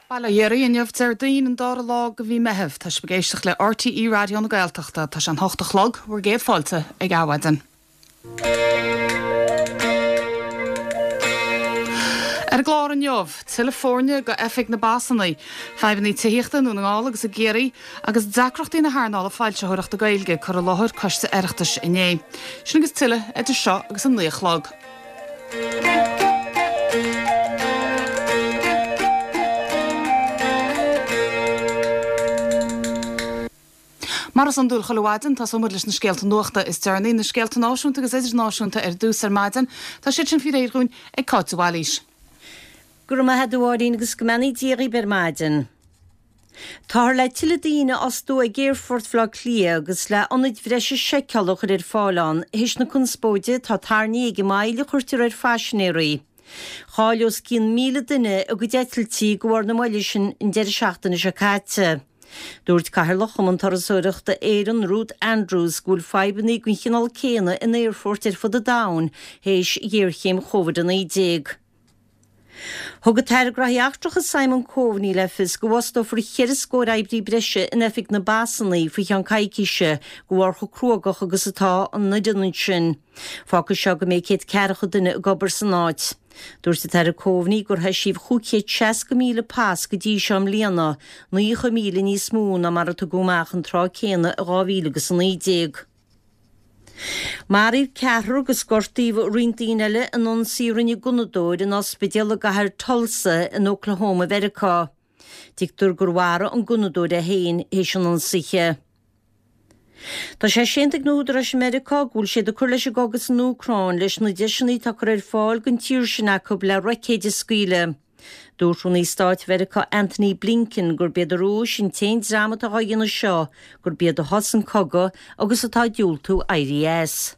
Bail ó Dhia oraibh, inniu Déardaoin an dara lá de mhí Meitheamh. Tá sibh ag éisteacht le RTÉ Raidió na Gaeltachta. Tá sé an hocht a chlog, bhur gcéad fáilte ag Adhmhaidin. Ar an gclár inniu, tuilleadh foirne go Oifig na bPasanna, fadhbanna tithíochta i nDún na nGall agus i gCiarraí, agus deacrachtaí na hearnála foilsitheoireachta Gaeilge, cur i láthair Coiste Oireachtais inné. Sin agus tuilleadh idir seo agus an 9 a chlog. Mar is iondúil chuile mhaidin, tosóidh muid leis na scéalta nuachta is deireanaí, na scéalta náisiúnta agus idirnáisiúnta ar dtús ar maidin. Tá siad sin faoi réir dhúinn ag Cáit de Bhailís. Go raibh maith agat a Mháirín agus go mbeannaí Dia dhaoib ar maidin. Táthar le tuilleadh daoine a fhostú ag Aerfort Bhaile Átha Cliath agus le ionaid bhreise seiceála a chur ar fáil ann théis na conspóide atá tarraingthe ag an moill a chuirtear ar phaisinéirí. Chaill os cionn 1,000 duine a gcuid eitiltí de bharr na moille sin an deireadh seachtaine seo caite. Dúirt Cathaoirleach Chumann Turasóireachta Éireann, Ruth Andrews, go bhfuil fadhbanna den chineál céanna in aerfoirt ar fud an domhain théis ghéarchéim Covid-19. Thug an tAire Gnóthaí Eachtracha Simon Coveney le fios go bhfostófar cheithre scór oibrí breise in Oifig na bPasanna faoi cheann coicíse de bharr chomh cruógach agus atá an fhoireann ansin. Fágfaidh seo go mbeidh 140 duine ag obair san áit. Dúirt an tAire Coveney gur heisíodh 560,000 pas go dtí seo i mbliana, 90,000 níos mó ná mar a tugadh amach an tráth céanna i 2019. Maraíodh ceathrar agus gortaíodh roinnt daoine eile in ionsaí a rinne gunnadóir in ospidéal i gcathair Tulsa in Oklahoma Mheiriceá. Tuigtear gur mharaigh an gunnadóir é féin théis an ionsaithe. Tá sé séanta ag na húdaráis i Meiriceá go bhfuil siad ag cur leis an gcogadh san Úcráin leis na deiseanna atá curtha ar fáil don tír sin acu le roicéid a scaoileadh. Dúirt Rúnaí Stáit Mheiriceá Antony Blinken gurb iad an Rúis an t-aon dream atá dhá dhéanamh seo, gurb iad a thosaigh an cogadh agus atá ag diúltú éirí as.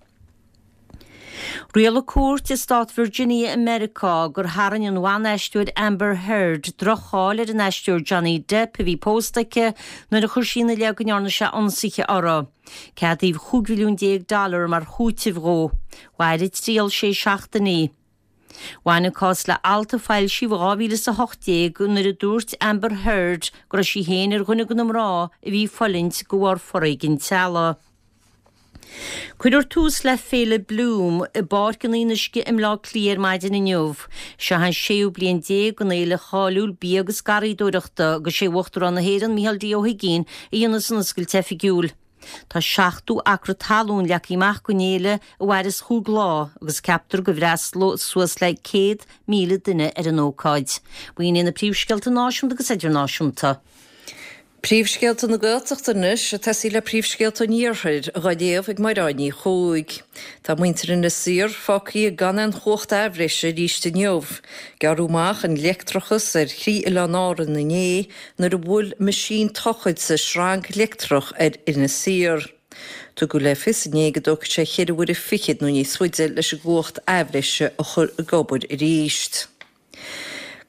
Rialaigh cúirt i stát Virginia i Meiriceá gur tharraing an bhan-aisteoir Amber Heard droch-cháil ar an aisteoir Johnny Depp a bhí pósta aici nuair a chuir sí ina leith go ndearna sé ionsaithe uirthi. Ceadaíodh 15 mhilliún dollar mar chúiteamh dhó. Mhair an triail sé seachtainí. Bhain an cás le alt a foilsíodh i 2018 nuair a dúirt Amber Heard go raibh sí féin ar dhuine de na mná a bhí ag fulaingt de bharr foréigean teaghlaigh. Cuirfear tús le Féile Bloom i bPáirc an Fhionnuisce i mBleá Cliath ar maidin inniu. Seo an séú bliain déag den fhéile cháiliúil bia agus garraíodóireachta agus sé Uachtarán na hÉireann Micheál D Ó hUigínn a dhéanfas an oscailt oifigiúil. Tá 70 acra talún leagtha amach don fhéile a mhairfeas chúig lá agus ceaptar go bhfreastalóidh suas le 100,000 duine ar an ócáid. B'in iad na príomhscéalta náisiúnta agus idirnáisiúnta. Príomhscéalta na Gaeltachta anois, ag tosaí le príomhscéalta an Iarthair, dhá léamh ag Mairéad Ní Chuaig. Tá muintir Inis Oírr fágtha gan aon chumhacht athbhreise arís inniu. Gearradh amach an leictreachas ar thrí oileán Árann inné nuair a bhuail meaisín tochailte sreang leictreach ar Inis Oírr. Tugadh le fios inné go dtógfaidh sé cheithre huaire fichead nó níos faide leis an gcumhacht athbhreise a chur ag obair arís.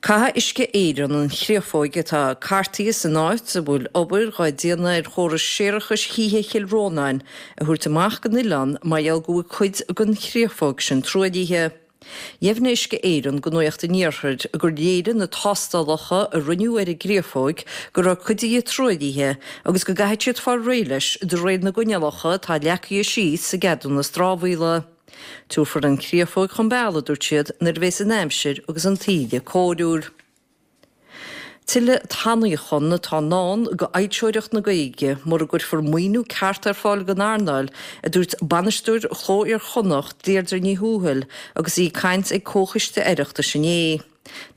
Caithfidh Uisce Éireann an chréafóig atá cartaithe san áit a bhfuil obair dhá déanamh ar chóras séarachais thithe Chill Rónáin a thabhairt amach den oileán mar gheall go bhfuil cuid den chréafóig sin truaillithe. Dheimhnigh Uisce Éireann do Nuacht an Iarthair gur léirigh na tástálacha a rinneadh ar an gcréafóig go raibh cuid di truaillithe agus go gcaithfidh siad fáil réidh leis de réir na gcoinníollacha atá leagtha síos sa gceadúnas dramhaíola. Tabharfar an chréafóig chun bealaigh, a dúirt siad, nuair a bheas an aimsir agus an taoille cóiriúil. Tuilleadh tanaíochan atá i ndán do fhoilsitheoireacht na Gaeilge mura gcuirfear maoiniú ceart ar fáil don earnáil, a dúirt bainisteoir Chló Iar-Chonnacht, Deirdre Ní Thuathail, agus í ag caint ag Comhchoiste Oireachtais inné.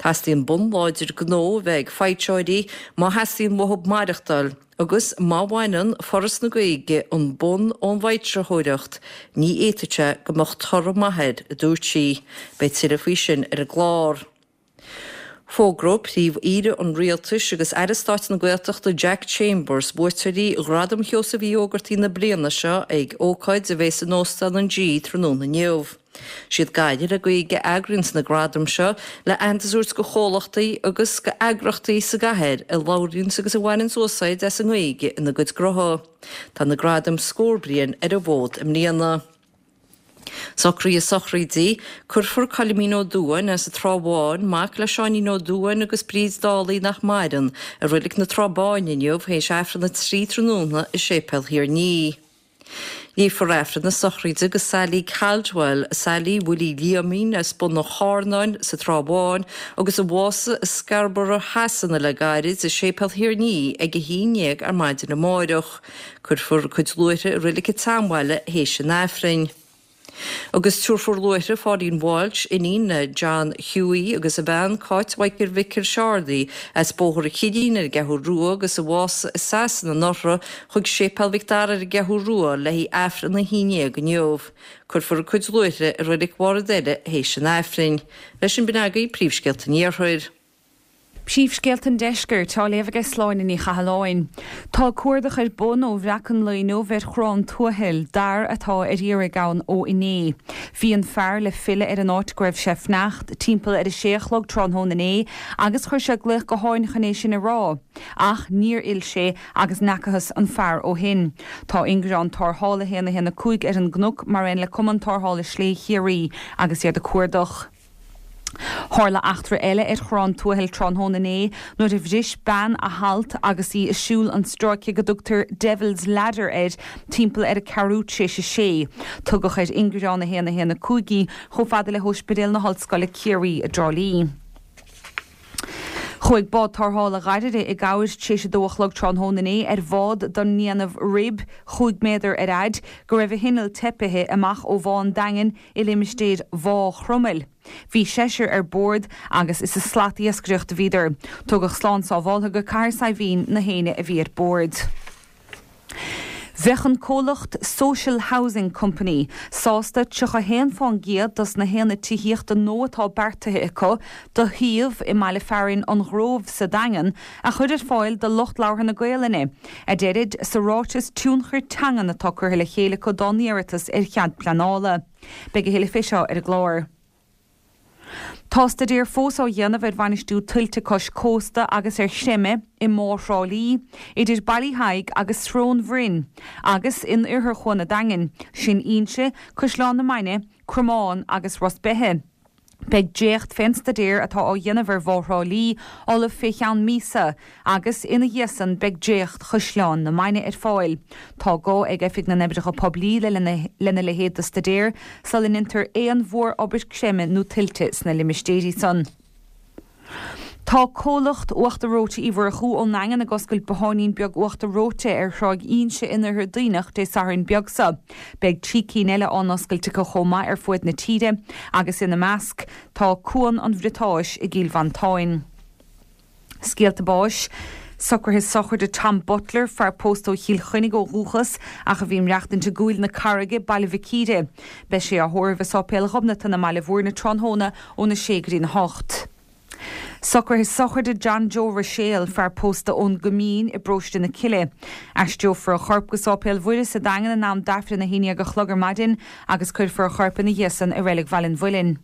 Teastaíonn bonn láidir gnó a bheith ag foilsitheoirí má theastaíonn uathu maireachtáil agus má bhaineann Foras na Gaeilge an bonn ón bhfoilsitheoireacht, ní fhéadfadh sé go mbeadh toradh maith air, a dúirt sí. Beidh tuilleadh faoi sin ar an gclár. Fógróidh Príomh-Aoire an Rialtais agus Aire Stáit na Gaeltachta Jack Chambers buaiteoirí Ghradam Sheosaimh Uí Ógartaigh na bliana seo ag ócáid a bheas in Óstán an G tráthnóna inniu. Siad Gaillimh le Gaeilge a eagraíonns na gradaim seo le aitheantas a thabhairt go chomhlachtaí agus go eagrachtaí sa gcathair a labhraíonns agus a bhaineanns úsáid as an nGaeilge ina gcuid gnótha. Tá na gradaim scór bliain ar an bhfód i mbliana. Socruithe sochraide, Cuirfear Coilimín Ó Dubháin as an Trá Bháin, mac le Seáinín Ó Dubháin agus Bríd Dálaigh nach maireann, i Reilig na Trá Báine inniu théis Aifreann 3 tráthnóna i Séipéal Thír an Fhia. Léifear Aifreann na sochraide do Sally Caldwell, Sally Willie Liaimín as Bun an Charnáin sa Trá Bháin agus a bhásaigh i Scarborough Shasana le gairid, i Séipéal Thír an Fhia ag 11 ar maidin amáireach. Cuirfear a cuid luaithre i Reilig an tSeanbhaile théis an Aifrinn. Agus tabharfar luaithre Pháidín Walsh, iníon le John Hughie agus a bhean Cáit Mhichael Mhicil Seárdaí, as Bóthar an Chillín ar an gCeathrú Rua agus a bhásaigh i Sasana anuraidh, chuig Séipéal Mhic Dara ar an gCeathrú Rua le haghaidh Aifreann a 11 inniu. Cuirfear a cuid luaithre i Reilig Bharr an Doire théis an Aifrinn. Leis sin b'in agaibh príomhscéalta an Iarthair. Príomhscéalta an Deiscirt á léamh aige Sláine Ní Chathalláin. Tá cuardach ar bun ó bhreac an lae inniu ar Chrann Tuathail, d'fhear atá ar iarraidh ann ó inné. Bhí an fear le filleadh ar an áit go raibh sé fanacht timpeall ar a sé a chlog tráthnóna inné agus chuir sé glaoch gutháin chun é sin a rá. Ach níor fhill sé agus n'fheacathas an fear ó shin. Tá ingearán tarrthála 1 1 5 ar an gcnoc mar aon le Cumann Tarrthála Slé Chiarraí agus iad ag cuardach. Tharla eachtra eile ar Chrann Tuathail tráthnóna inné nuair a bhris bean a halt agus í ag siúl an stráice go dtugtar 'Devil's Ladder' air timpeall ar a ceathrú tar éis a sé. Tugadh ar ingearán 1 1 5 í chomh fada le hOspidéal na hOllscoile Ciarraí i dTrá Lí. Chuaigh bád tarrthála ghairide i gcabhair tar éis a dó a chlog tráthnóna inné ar bhád den ndéanamh rib, chúig méadar ar fhaid, go raibh a hinneall teipithe, amach ó Bhá an Daingin i limistéir Bhá Chromail. Bhí seisear ar bord agus is ag slatiascaireacht a bhíodar. Tugadh slán sábháltha go Cathair Saidhbhín na héinne a bhí ar bord. Bheadh an comhlacht Social Housing Company sásta 31 fán gcéad dos na haonaid tithíochta nua atá beartaithe acu do shuíomh i mbaile fearainn An Gróibh sa Daingean a chur ar fáil do lucht labhartha na Gaolainne, a deirid sa ráiteas tionchair teangan atá curtha le chéile acu dá n-iarratas ar chead pleanála. Beidh a thuilleadh fé seo ar an gclár. Tá staidéar fós á dhéanamh ar bhainistiú tuilte cois cósta agus ar chreimeadh i mBá Thrá Lí, idir Baile Thaidhg agus Srón Bhroin, agus in oirthear Chuan an Daingin, sin Inse, Caisleán na Mainge, Cromán agus Ros Beithe. Beidh dréacht fén staidéar atá á dhéanamh ar Bhá Thrá Lí ullamh fé cheann míosa agus ina dhiaidh san beidh dréacht Chaisleán na Mainge ar fáil. Tá gá ag Oifig na nOibreacha Poiblí le lena leithéid de staidéar sula ndeintear aon mhór-obair creime nó tuilte sna limistéirí san. Tá comhlacht Uachtar Reoite Uí Mhurchú ón nDaingean ag oscailt botháinín beag uachtar reoite ar Thráigh Inse in Oirthear Duibhneach Dé Sathairn beag seo. Beidh 3 cinn eile á n-oscailt acu chomh maith ar fuaid na tíre agus ina measc tá Cuan an Bhriotáis i gCill Mhantáin. Scéalta báis. Socruithe sochraide Tom Butler, fear pósta ó Chill Chainnigh ó dhúchas ach a bhí ag maireachtaint i gCúil na Carraige, Baile Mhic Íre. Beidh sé á thórramh i Sáipéal Ghobnatan i mBaile Bhúirne tráthnóna óna sé go dtí'n 8. Socruithe sochraide John Joe Ruiséal, fear pósta ón gCoimín i bparóiste na Cille. Aistreofar a chorp go Sáipéal Mhuire sa Daingean in am d'Aifreann 11 a chlog ar maidin agus cuirfear a chorp ina dhiaidh san i Reilig Bhaile an Mhuilinn.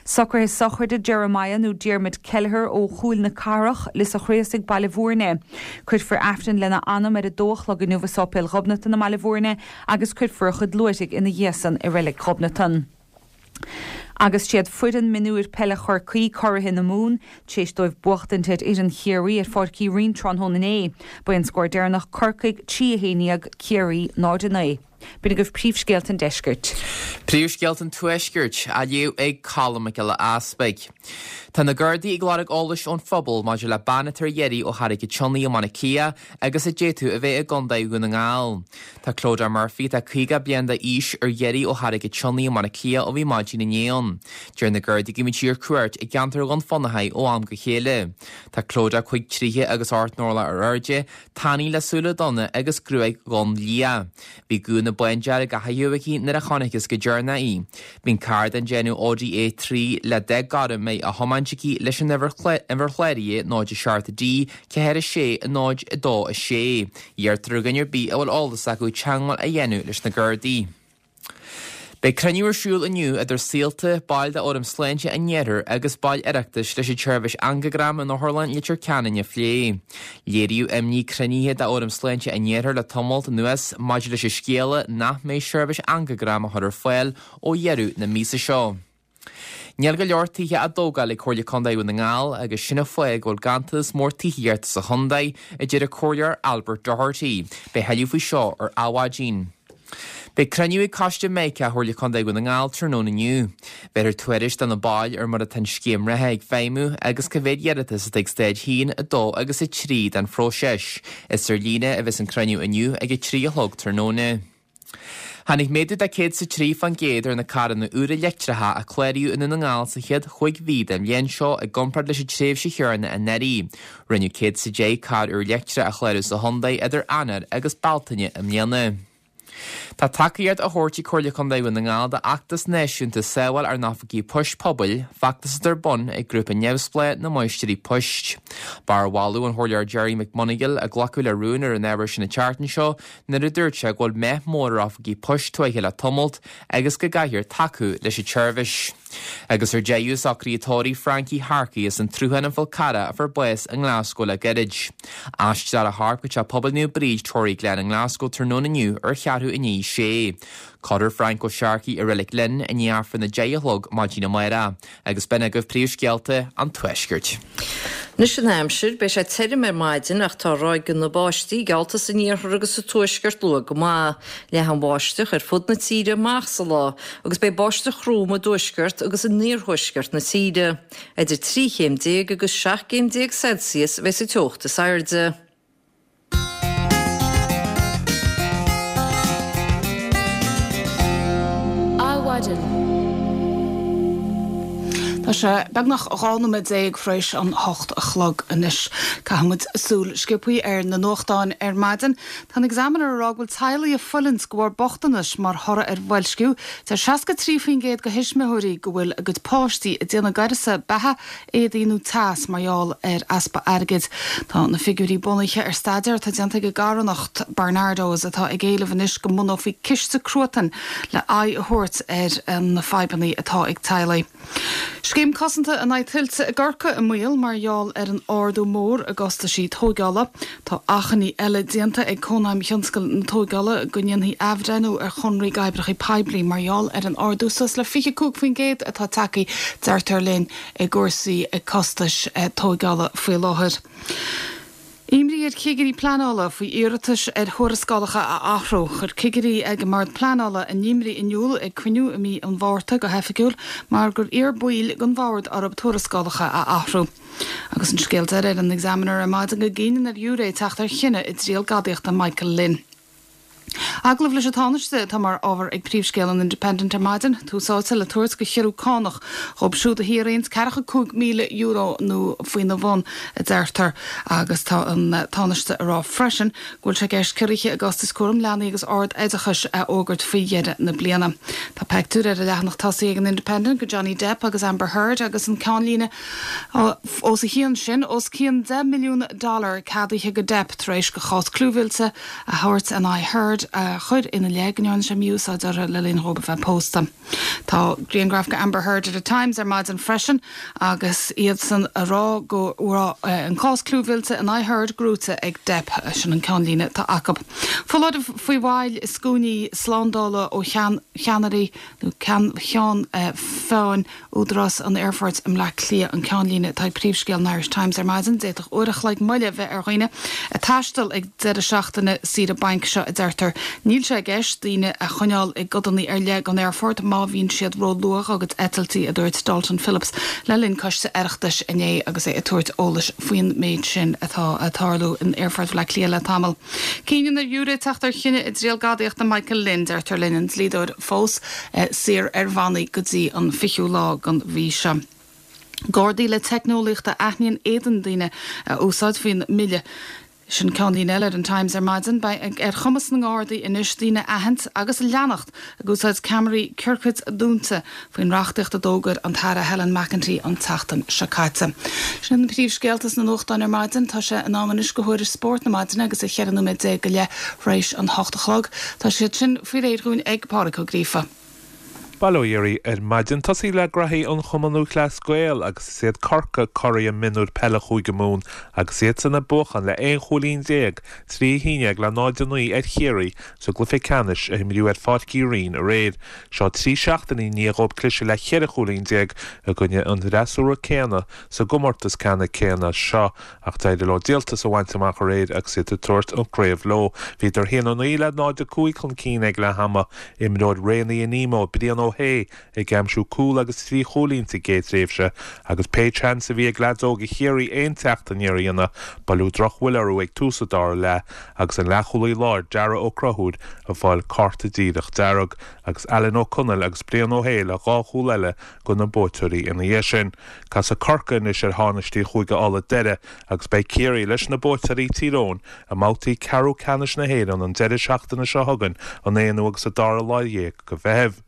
Socruithe sochraide Jeremiah nó Diarmuid Kelleher ó Chúil na Cathrach, Lios a' Chraosaigh, Baile Bhúirne. Cuirfear Aifreann lena anam ar a dó a chlog inniu i Sáipéal Ghobnatan i mBaile Bhúirne agus cuirfear a chuid luaithrigh ina dhiaidh san i Reilig Ghobnatan. Agus siad foireann mionúir peile Chorcaí curaithe na Mumhan tar éis dóibh buachtaint ar fhoireann Chiarraí ar Pháirc Uí Rinn tráthnóna inné. Ba é an scór deireanach Corcaigh 3 11 Ciarraí 0 9. B'in agaibh príomhscéalta an deiscirt. Príomhscéalta an tuaiscirt, á léamh ag Colm Mac Giolla Easpaig. Tá na Gardaí ag lorg eolais ón phobal maidir le bean atá ar iarraidh ó Charraig an tSionnaigh i mBaile Átha Cliath agus a d'fhéadfadh a bheith i gContae Dhún na nGall. Tá Clodagh Murphy, atá 50 bliain d'aois, ar iarraidh ó Charraig an tSionnaigh i mBaile Átha Cliath ó bhí maidin inné ann. Deir na Gardaí go mbíonn sí ar cuairt i gceantar Dhún Fionnachaidh ó am go chéile. Tá Clodagh cúig troighe agus 8 n-orlach ar airde, tanaí le súile donna agus gruaig dhonn liath. Bhí gúna bándearg á chaitheamh aici nuair a chonacthas go deireanach í. Bíonn carr den déanamh Audi A3 le dath gorm á thiomáint aici leis an uimhir chláraithe 0 7 D 4 6 0 2 6. Iarrtar ar dhuine ar bith a bhfuil eolas acu teagmháil a dhéanamh leis na Gardaí. Beidh cruinniú ar siúl inniu idir Saolta, baill de Fhóram Sláinte an Iarthair agus baill Oireachtais leis an tseirbhís angagram in Otharlann Leitir Ceanainn a phlé. Léiríodh imní ag cruinnithe de Fhóram Sláinte an Iarthair le tamalt anuas maidir leis an scéala nach mbeidh seirbhís angagram á chur ar fáil ó dheireadh na míosa seo. Níl go leor tithe á dtógáil ag Comhairle Contae Dhún na nGall agus sin an fáth go bhfuil ganntanas mór tithíochta sa chontae, a deir an Comhairleoir Albert Doherty. Beidh thuilleadh faoi seo ar Adhmhaidin. Beidh cruinniú ag Coiste Mica Chomhairle Contae Dhún na nGall tráthnóna inniu. Bhéarfar tuairisc do na baill ar mar atá an scéim reatha ag feidhmiú agus cá mhéad iarratas atá ag staid 1, 2 agus 3 den phróiseas. Is ar líne a bheas an cruinniú inniu ag 3 a chlog tráthnóna. Tháinig méadú de 103% ar na carranna úra leictreacha a cláraíodh i nDún na nGall sa chéad chúig mhí den bhliain seo i gcomparáid leis an tréimhse chéanna anuraidh. Rinneadh 110 carr úr leictreach a chlárú sa chontae idir Eanáir agus Bealtaine i mbliana. Tá tacaíocht á thabhairt ag Comhairle Contae Dhún na nGall d'fheachtas náisiúnta Sábháil ár nOifigí Poist Pobail, feachtas atá ar bun ag grúpa neamhspleách na Máistrí Poist. B'ar mholadh an Chomhairleora Gerry McMonagall a glacadh le rún ar an ábhar sin an tseachtain seo nuair a dúirt sé go bhfuil meath mór ar oifigí poist tuaithe le tamalt agus go gcaithfear tacú leis an tseirbhís. Agus ar deireadh, socruithe tórraimh Frankie Harkey as an tSruthán an Fhál Carrach a fuair bás i nGlasgow le gairid. Aistreofar a chorp go Teach Pobail Naomh Bríd, Toryglen i nGlasgow tráthnóna inniu ar cheathrú i ndiaidh a sé. Cuirfear Frank O'Sharkey i Reilig Linn i ndiaidh Aifreann a 10 a chlog maidin amárach. Agus b'in agaibh príomhscéalta an Tuaiscirt. Anois an aimsir, beidh sé tirim ar maidin ach tá ráigeanna báistí geallta san iarthar agus sa tuaisceart luath go maith. Leathfaidh an bháisteach ar fud na tíre amach sa lá agus beidh báisteach throm i dtuaisceart agus in iarthuaisceart na tíre. Idir 13 chéim agus 17 gcéim Celsius a bheidh sa teocht is airde. Adhmhaidin. Tá sé beagnach 12 nóiméad tar éis an 8 a chlog anois. Caithfidh muid súil sciobthaí ar na nuachtáin ar maidin. Tá an Examiner ag rá go bhfuil teaghlaigh ag fulaingt de bharr bochtanais mar thoradh ar bhoilsciú. Deir 63% de thuismitheoirí go bhfuil a gcuid páistí ag déanamh d'uireasa beatha éadaí nó teas mar gheall ar easpa airgid. Tá na figiúirí bunaithe ar staidéar atá déanta ag an gcarthanacht Barnardo's atá ag éileamh anois go mbunófaí ciste cruatain le aghaidh a thabhairt ar na fadhbanna atá ag teaghlaigh. Scéim cosanta in aghaidh tuilte i gCorcaigh i mbaol mar gheall ar an ardú mór i gcostaisí tóigeála. Tá achainí eile déanta ag Cónaidhm Thionscal na Tóigeála go ndéanfaí athbhreithniú ar chonraí d'oibreacha poiblí mar gheall ar an ardú suas le 25% atá tagtha, deirtear linn, i gcúrsaí costais tóigeála faoi láthair. Imní ar chigirí pleanála faoi iarratais ar thuarascálacha a athrú. Chuir cigirí ag an mBord Pleanála a n-imní in iúl ag cruinniú i mí an Mhárta go hoifigiúil mar gur iarr baill den bhord orthu tuarascálacha a athrú. Agus an scéal deiridh ar an Examiner ar maidin go gcinneann ar ghiúiré teacht ar chinneadh i dtriail gadaíochta Michael Lynn. Agallamh leis an Tánaiste atá mar ábhar ag príomhscéal an Independent ar maidin, tús áite le tabhairt do chiorrú cánach dhóibh siúd a shaothraíonns €45,000 nó faoina bhun, a deirtear. Agus tá an Tánaiste ag rá freisin go bhfuil sé i gceist ciorruithe i gcostais cúram leanaí agus ard-oideachais a fhógairt faoi dheireadh na bliana. Tá peictiúr ar an leathanach tosaigh ag an Independent de Johnny Depp agus Amber Heard agus an ceannlíne Os a chionn sin, os cionn $10 milliún ceadaithe go Depp tar éis do chás clúmhillte a thabhairt in aghaidh Heard a chuir ina leith go ndearna sé mí-úsáid uirthi le linn dhóibh a bheith pósta. Tá grianghraf de Amber Heard ar an Times ar maidin freisin agus iadsan a rá go raibh an cás clúmhillte in aghaidh Heard gnóite ag Depp. Sin an ceannlíne atá acu. Foláireamh faoi mhoill i scuainí slándála ó cheannairí nó ceann feadhain Údarás an Aerfoirt i mBleá Cliath an ceannlíne atá ag príomhscéal an Irish Times ar maidin. D'fhéadfadh uair a chloig moille a bheith ar dhaoine ag taisteal ag deireadh seachtaine saoire bainc seo, a deirtear. Níl sé i gceist daoine a choinneáil i gcodanna ar leith den aerfort má bhíonn siad ró-luath dá gcuid eitiltí, a dúirt Dalton Phillips le linn coiste Oireachtais inné agus é ag tabhairt eolais faoin méid sin atá ag tarlú in Aerfort Bhaile Átha Cliath le tamall. Cinneann ar ghiúiré teacht ar chinneadh i dtriail gadaíochta Michael Lynn, deirtear linn, an dlíodóir fós saor ar bhannaí go dtí an 20ú lá den mhí seo. Gardaí le teicneolaíocht a aithníonn éadan daoine a úsáid faoin mbille. Sin ceannlíne eile ar an Times ar maidin. Beidh ar chumas na nGardaí anois daoine a aithint agus a leanacht ag úsáid ceamaraí ciorcaid dúnta faoin reachtaíocht a d'fhógair an tAire Helen McEntee an tseachtain seo caite. Sin iad na príomhscéalta sna nuachtáin ar maidin. Tá sé in am anois do thuairisc spóirt na maidine agus é 14 nóiméad go leith th'réis an hocht a chlog. Tá siad sin faoi réir dhúinn ag Pádraig Ó Gríofa. Bail ó Dhia oraibh ar maidin. Tosaí le graithí an Chumann Lúthchleas Gael agus is iad Corcaigh curaidh mionúir peile Chúige Mumhan agus iadsan ag buachan le 11 chúilín, 3 1 le 0 9 ar Chiarraí sa gcluiche ceannais a imríodh ar Pháirc Uí Rinn aréir. Seo 3 seachtainí i ndiaidh dhóibh cliseadh le 14 chúilín i gcoinne an fhreasúra céanna sa gcomórtas ceannann céanna seo Ach d'éirigh leo díoltas a bhaint amach aréir agus iad ag tabhairt an chraobh leo. Bhíodar 1-9 le 0-5 chun cinn ag leath ama. Imreoir Raonaithe Nemo, Brian Ó hAodha, ag aimsiú cúl agus 3 chúilín sa gcéad tréimhse agus pé seans a bhí ag leaids óga Chiarraí aon teacht aniar a dhéanamh, buaileadh drochbhuille orthu ag tús an dara leath agus an leathchúlaí láir Darragh Ó Conchúir ag fáil cárta díreach dearg agus Alan Ó Conaill agus Brian Ó hAodha le dhá chúl eile do na buaiteoirí ina dhiaidh sin. Casfaidh Corcaigh anois ar thánaistí Chúige Uladh deireadh agus beidh Ciarraí leis na buaiteoirí Tír Eoghain i mbabhtaí ceathrú ceannais na hÉireann an deireadh seachtaine seo chugainn, an aonú agus an dara lá dhéag de Mheitheamh.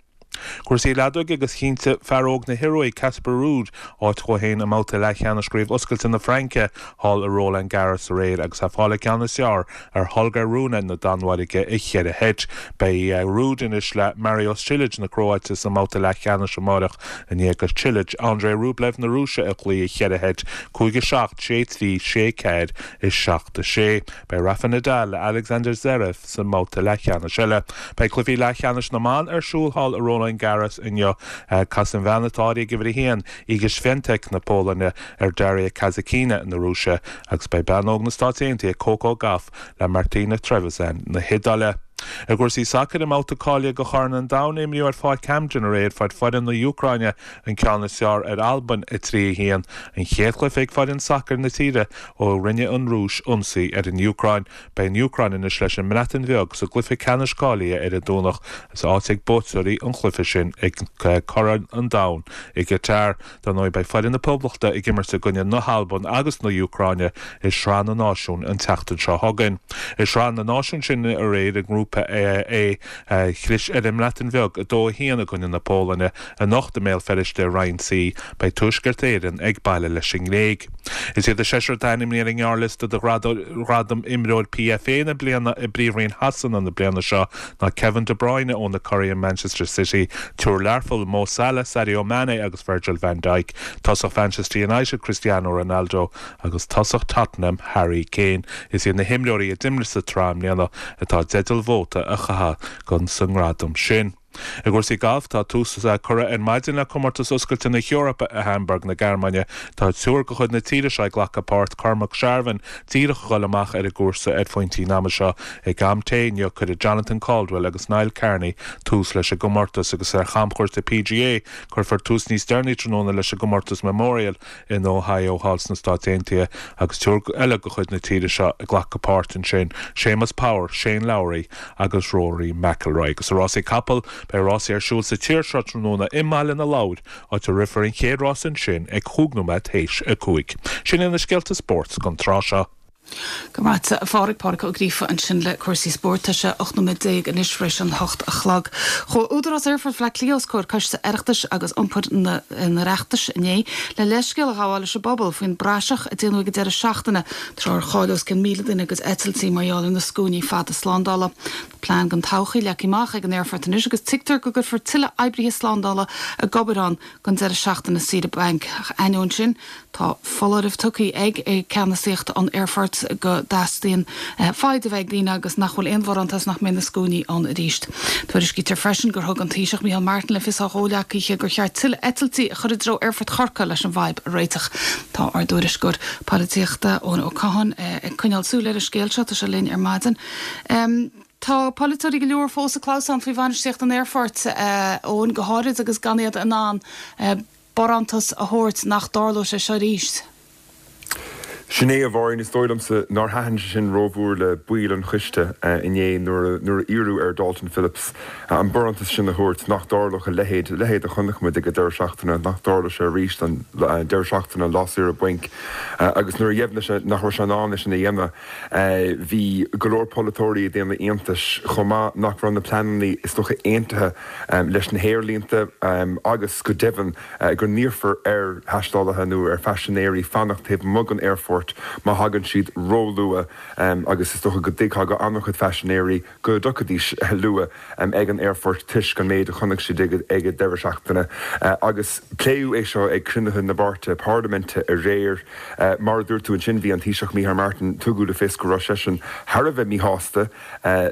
Cúrsaí leadóige agus chinntigh fear óg na hIoruaidh, Casper Ruud, áit dhó féin i mbabhta leathcheannais chraobh oscailte na Fraince thall i Roland Garros aréir agus é ag fáil an ceann is fearr ar Holger Rune na Danmhairge i cheithre sheit. Beidh Ruud anois le Mario Cilic na Cróite sa mbabhta leathcheannais amáireach i ndiaidh do Cilic Andrei Rublev na Rúise a chloí i cheithre sheit, 5 7, 6 3, 6 4 is 7 6. Beidh Rafa Nadal le Alexander Zverev sa mbabhta leathcheannais eile. Beidh cluichí leathcheannais na mban ar siúl thall i Roland Garros inniu. Casfaidh an bhean atá áirithe ag uimhir 1, Iga Swiatek na Polainne, ar Daria Kasatkina na Rúise agus beidh bean óg na Stáit Aontaithe Coco Gauff le Martina Trevisan na hIodáile. I gcúrsaí sacair, i mbabhta cáilithe do Chorn an Domhain a imríodh ar Pháirc Hampden aréir, fuair foireann na hÚcráine an ceann is fearr ar Albain, 3, 1, an chéad chluiche ag foireann sacair na tíre ó rinne an Rúis ionsaí ar an Úcráin. Beidh an Úcráin anois leis an mBreatain Bheag sa gcluiche ceannais cáilithe ar an Domhnach agus áit ag buaiteoirí an chluiche sin ag Corn an Domhain i gCatar. Dar ndóigh beidh foireann na Poblachta ag imirt i gcoinne na hAlban agus na hÚcráine i Sraith na Náisiún an tseachtain seo chugainn. I Sraith na Náisiún sin aréir i nGrúpa A, chlis ar an mBreatain Bheag 2, 1 i gcoinne na Polainne. Anocht i mBéal Feirste i Roinn C, beidh Tuaisceart Éireann ag baile leis an nGréig. Is iad an seisear atá ainmnithe ar an ngearrliosta do ghradam Imreoir PFA na Bliana i bPríomhroinn Shasana na bliana seo ná Kevin De Bruyne ó na curaidh Manchester City, triúr Learphoill, Mo Salah, Sadio Mane agus Virgil van Dijk, tosach Mhanchester United Cristiano Ronaldo agus tosach Tottenham Harry Kane. Is iad na himreoirí a d'imir sa tsraith i mbliana atá i dteideal vóta a chaitheamh sa ngradam sin. I gcúrsaí gailf, tá tús curtha ar maidin le Comórtas Oscailte na hEorpa i Hamburg na Gearmáine. Tá triúr de chuid na tíre seo ag glacadh páirt, Cormac Sharvin díreach a dhul amach ar an gcúrsa ar phointí an ama seo. Ag am tae inniu cuirfidh Jonathan Caldwell agus Niall Kearney tús leis an gcomórtas agus ar chamchuairt PGA cuirfear tús níos deireanaí tráthnóna leis an gcomórtas Memorial in Ohio thall sna Stáit Aontaithe agus triúr eile de chuid na tíre seo ag glacadh páirt ansin, Séamus Power, Shane Lowry agus Rory McIlroy. Agus i rásaí capall, beidh rásaí ar siúl sa tír seo tráthnóna i mBaile na Lobhar, áit a rithfear an chéad rás ansin ag chúig nóiméad théis a 5. Sin iad na scéalta spóirt don tráth seo. Go raibh maith agat, a Phádraig. Pádraig Ó Gríofa ansin le cúrsaí spóirt. Tá sé 18 nóiméad anois tar éis an hocht a chlog. Chuaigh Údarás Aerfort Bhaile Átha Cliath os comhair Coiste Oireachtais agus Iompair an Oireachtais inné le leithscéal a ghabháil leis an bpobal faoin bpraiseach a déanadh ag an deireadh seachtaine tráth ar chaill os cionn 1,000 duine a gcuid eitiltí mar gheall ar na scuainí fada slándála. Tá plean don todhchaí leagtha amach ag an aerfort anois agus tuigtear go gcuirfear tuilleadh oibrithe slándála ag obair ann don deireadh seachtaine saoire bainc. Ach ainneoin sin, tá foláireamh tugtha ag ceannasaíocht an aerfoirt go dteastaíonn foighid a bheith ag daoine agus nach bhfuil aon bharántas nach mbeidh na scuainí ann arís. Tuairiscítear freisin gur thug an Taoiseach Micheál Martin le fios dá chomhghleacaithe gur cheart tuilleadh eitiltí a chur i dtreo Aerfort Chorcaí leis an bhfadhb a réiteach. Tá ár dtuairisceoir polaitíochta Eoin Ó Catháin ag coinneáil súil ar an scéal seo. Tá sé linn ar maidin. Tá polaiteoirí go leor fós ag clamhsán faoi bhainistíocht an aerfoirt, Eoin, go háirid agus gan iad in ann barántas a thabhairt nach dtarlóidh sé seo arís. Sin é, a Mháirín. Is dóigh liomsa nár thaitin sé sin rómhór le baill an choiste inné nuair a iarradh ar Dalton Phillips an barántas sin a thabhairt, nach dtarlódh a leithéid, a leithéid a chonaic muid ag an deireadh seachtaine, nach dtarlódh sé arís an deireadh seachtaine lá saoire bainc. Agus nuair a dheimhnigh sé nach raibh sé in ann é sin a dhéanamh, Bhí go leor polaiteoirí ag déanamh iontais chomh maith nach raibh na pleananna is dócha aontaithe leis na haerlínte agus go deimhin go n-iarrfar ar thaistealaithe nó ar phaisinéirí fanacht taobh amuigh den aerfort. aerfort má thagann siad róluath agus is dócha go dtuigfeá go an-chuid phaisinéirí go dtiocfaidís luath ag an aerfort toisc an méid a chonaic siad ag an deireadh seachtaine agus pléadh é seo ag cruinnithe na bpáirtithe parlaiminte aréir. Mar a dúirt tú ansin, bhí an Taoiseach Micheál Martin, tugadh le fios go raibh seisean thar a bheith míshásta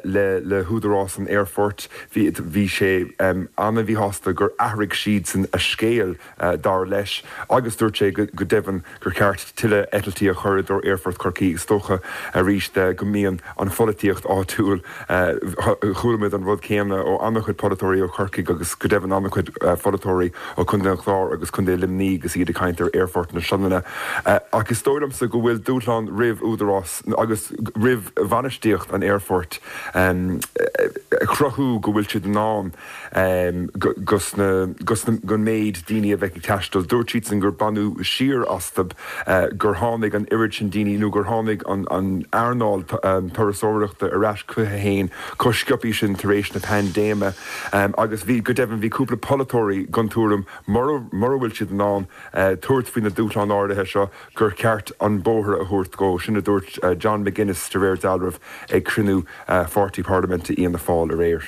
le le húdarás an aerfoirt. Bhí bhí sé an-mhíshásta gur athraigh siadsan a scéal, dar leis, agus dúirt sé go deimhin gur cheart tuilleadh eitiltí a chur i dtreo Aerfort Chorcaí. Is dócha arís go mbíonn an pholaitíocht áitiúil, chuala muid an rud céanna ó an-chuid polaiteoirí ó Chorcaigh agus go deimhin an-chuid pholaiteoirí ó Chontae an Chláir agus Contae Luimnigh agus iad ag caint ar Aerfort na Sionainne. Ach is dóigh liomsa go bhfuil dúshlán roimh údarás agus roimh bhainistíocht an aerfoirt a chruthú go bhfuil siad in ann gon méid daoine a bheidh ag taisteal. Dúirt siadsan gur baineadh siar astu gur tháinig an oiread sin daoine nó gur tháinig an earnáil turasóireachta ar ais chuici féin chomh sciobtha sin tar éis na paindéime agus bhí, go deimhin, bhí cúpla polaiteoirí den tuairim mura bhfuil siad in ann tabhairt faoi na dúshláin áirithe seo gur cheart an bóthar a thabhairt dhó. Sin a dúirt John McGuinness de réir dealraimh ag cruinniú pháirtí parlaiminte Fhianna Fáil aréir.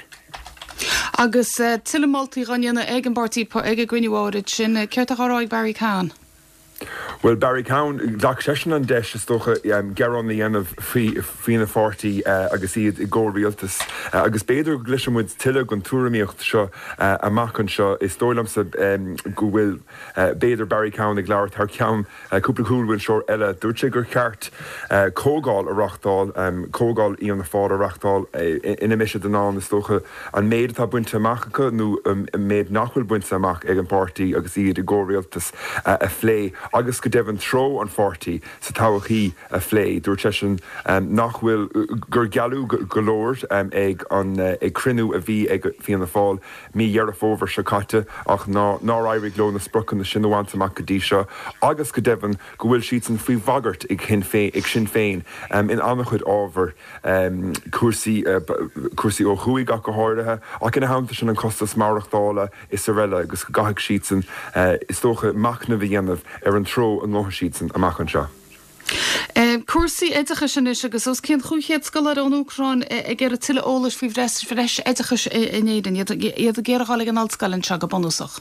Agus tuilleadh moltaí á ndéanamh ag an bpáirtí ag an gcruinniú áirid sin, céard atá á rá ag Barry Cowen? Bhuel, Barry Cowen, ghlac seisean an deis, is dócha, gearán a dhéanamh faoina pháirtí agus iad i gcomhrialtas. Agus b'fhéidir go gcloisfidh muid tuilleadh den tuairimíocht seo amach anseo. Is dóigh liomsa go bhfuil, b'fhéidir, Barry Cowen ag labhairt thar ceann Cúpla cúlbhinseoir eile, dúirt sé gur cheart comhdháil a reáchtáil, comhdháil Fhianna Fáil a reáchtáil, ina mbeidh siad in ann, is dócha, an méid atá bainte amach acu nó an méid nach bhfuil bainte amach ag an bpáirtí agus iad i gcomhrialtas a phlé agus go deimhin treo an pháirtí sa todhchaí a phlé. Dúirt seisean nach bhfuil, gur gealladh go leor ag an ag cruinniú a bhí ag Fianna Fáil mí Dheireadh Fómhair seo caite ach nár éirigh leo na spriocanna sin a bhaint amach go dtí seo agus go deimhin go bhfuil siadsan faoi bhagairt ag Sinn Féin in an-chuid ábhar, cúrsaí cúrsaí ó thuaidh ach go háirithe, ach ina theannta sin an costas maireachtála is araile agus go gcaithfidh siadsan is dócha machnamh a dhéanamh ar an treo a ngabhfaidh siadsan amach anseo. Cúrsaí oideachais anois agus os cionn 500 scoláire ón Úcráin ag iarraidh tuilleadh eolais faoi bhreis oideachais in Éirinn, iad ag iarraidh a dhul ag an ollscoil anseo go bunúsach.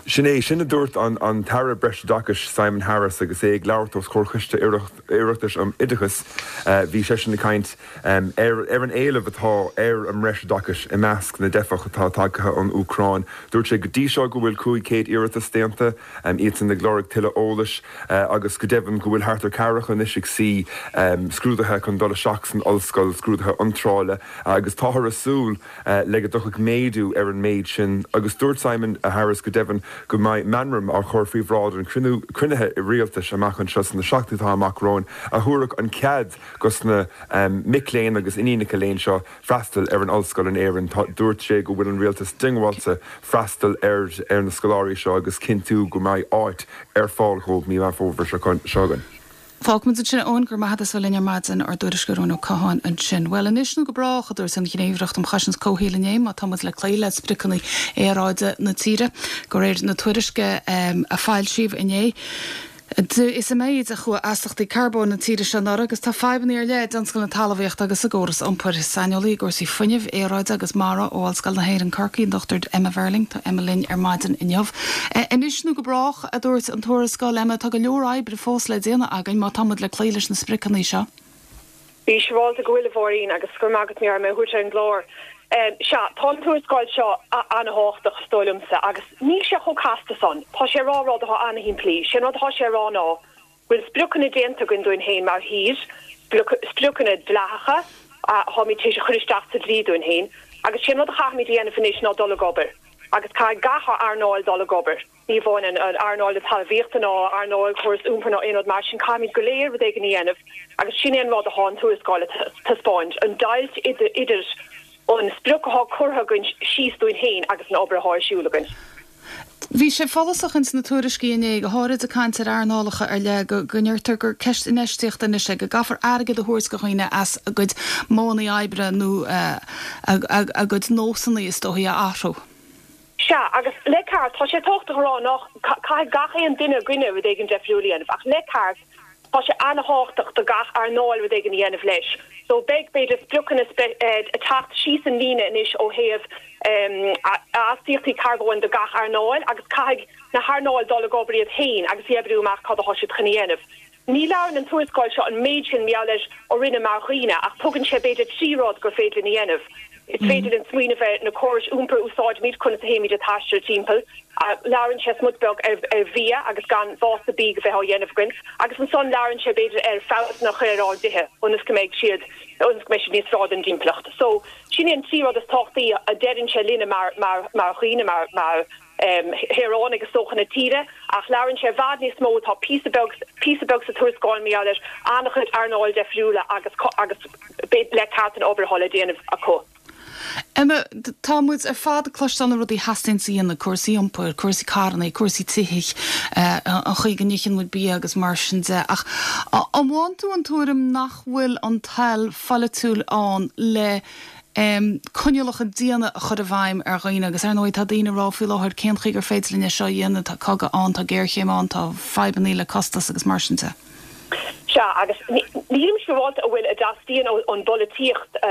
Sin é sin a dúirt an tAire Breisoideachais Simon Harris agus é ag labhairt os comhair Choiste Oireachtais um Oideachas. Bhí seisean ag caint ar an éileamh atá ar an mbreisoideachas i measc na dteifeach atá tagtha ón Úcráin. Dúirt sé go dtí seo go bhfuil 500 iarratas déanta. iadsan ag lorg tuilleadh eolais agus go deimhin go bhfuil thart ar ceathracha anois ag suí scrúduithe chun dul isteach san ollscoil, scrúduithe iontrála, agus táthar ag súil le go dtiocfaidh méadú ar an méid sin. Agus dúirt Simon Harris go deimhin go mbeidh meamram á chur faoi bhráid an chruinnithe rialtais amach anseo sna seachtainí atá amach romhainn a thabharfadh an cead dos na mic léinn agus iníonacha léinn seo freastal ar an ollscoil in Éirinn. Dúirt sé go bhfuil an rialtas diongbháilte freastal ar ar na scoláirí seo agus cinntiú go mbeidh áit ar fáil dhóibh mí Meán Fómhair seo chugainn. Fágfaimid ansin é, Eoin, go raibh maith agat as bheith linn ar maidin, ár dtuairisceoir Eoin Ó Catháin ansin. Bhuel, anois nó go brách, a dúirt an Ghníomhaireacht um Chosaint Comhshaoil inné, má tá muid le cloí le spriocanna aeráide na tíre. De réir na tuairisce a foilsíodh inné, Is i méid a chuaigh astachtaí carbóin na tíre seo anuraidh agus tá fadhbanna ar leith i dtionscal na talmhaíochta agus sa gcóras iompair. Saineolaí i gcúrsaí fuinnimh, aeráide agus mara ó Ollscoil na hÉireann Corcaigh, an Dr Emma Verling. Tá Emma linn ar maidin inniu. Anois nó go brách, a dúirt an tuarascáil. Emma, tá go leor oibre fós le déanamh againn má tá muid le cloí leis na spriocanna seo. Bí siúráilte go bhfuil, a Mháirín, agus go raibh maith agat mar mé a thabhairt ar an gclár. Sea, tá an tuarascáil seo an-thábhachtach, is dóigh liomsa, agus níl sé chomh casta san. Tá sé ag rá rud atá an-shimplí. Sé an rud atá sé ag rá ná go bhfuil spriocanna déanta againn dúinn féin mar thír, spriocanna dleathacha atáimid tar éis a chur isteach sa dlí dúinn féin, agus sé an rud a chaithfimid a dhéanamh anois ná dul ag obair, agus caithfidh gach earnáil dul ag obair. Ní amháin an earnáil na talmhaíochta ná earnáil córas iompair ná aon rud mar sin, caithfimid go léir rud éigin a dhéanamh agus sin é an rud atá an tuarascáil ag taispeáint, an deighilt idir an sprioc atá curtha againn síos dúinn féin agus an obair atá ar siúl againn. Bhí sé follasach ins na tuairiscí inné, go háirid ag caint ar earnálacha ar leith, go ndeirtear gur ceist infheistíochta anois é, go gcaithfear airgead a thabhairt do dhaoine as a gcuid modhanna oibre nó a gcuid nósanna is dóichí a athrú. Sea, agus le ceart, tá sé tábhachtach a rá nach, caithfidh gach aon duine againne rud éigin deifriúil a dhéanamh, ach le ceart. Tá sé ana-thábhachtach do gach earnáil rud éigin a dhéanamh leis. So beidh, b'fhéidir, spriocanna ag teacht síos an líne anois ó thaobh astaíochtaí carbóin do gach earnáil agus caithfidh na hearnáil dul ag obair iad féin agus a oibriú amach cad atá siad chun a dhéanamh. Ní labhrann an tuarascáil seo an méid sin mar gheall ar orainne mar dhaoine ach tugann sé b'fhéidir 3 rud gur féidir linn a dhéanamh. Is féidir linn smaoineamh ar na córais iompair a úsáidimid, conas a théimid ag taisteal timpeall. Labhrann sé smut beag ar bhia agus gan vásta bídh a bheith á dhéanamh againn. Agus ansan labhrann sé b'fhéidir ar feabhsanna a chur ar ár dtithe ionas go mbeidh siad ionas go mbeidh siad níos fearr don dtimpeallacht. So sin iad an 3 rud is tábhachtaí a deireann sé linne mar mar mar dhaoine mar mar shaoránaigh is dócha na tíre, ach labhrann sé i bhfad níos mó, tá píosa beag, píosa beag sa tuarascáil mar gheall ar an-chuid earnáil deifriúla agus, agus le ceart an obair atá le déanamh acu. Emma, tá muid ar fad ag cloisteáil na rudaí a theastaíonns a dhéanamh, cúrsaí iompair, cúrsaí carrannaí, cúrsaí tithe, an chaoi go n-itheann muid bia agus mar sin de, ach an bhfaigheann tú an tuairim nach bhfuil an toil pholaitiúil ann le coinníollacha diana a chur i bhfeidhm ar dhaoine agus ar ndóigh tá daoine ag rá faoi láthair cén chaoi gur féidir linn é seo a dhéanamh, tá cogadh ann, tá géarchéim ann, tá fadhbannaí le costas agus mar sin de. Sea, agus nílim siúráilte an bhfuil a dteastaíonn ón bpolaitíocht,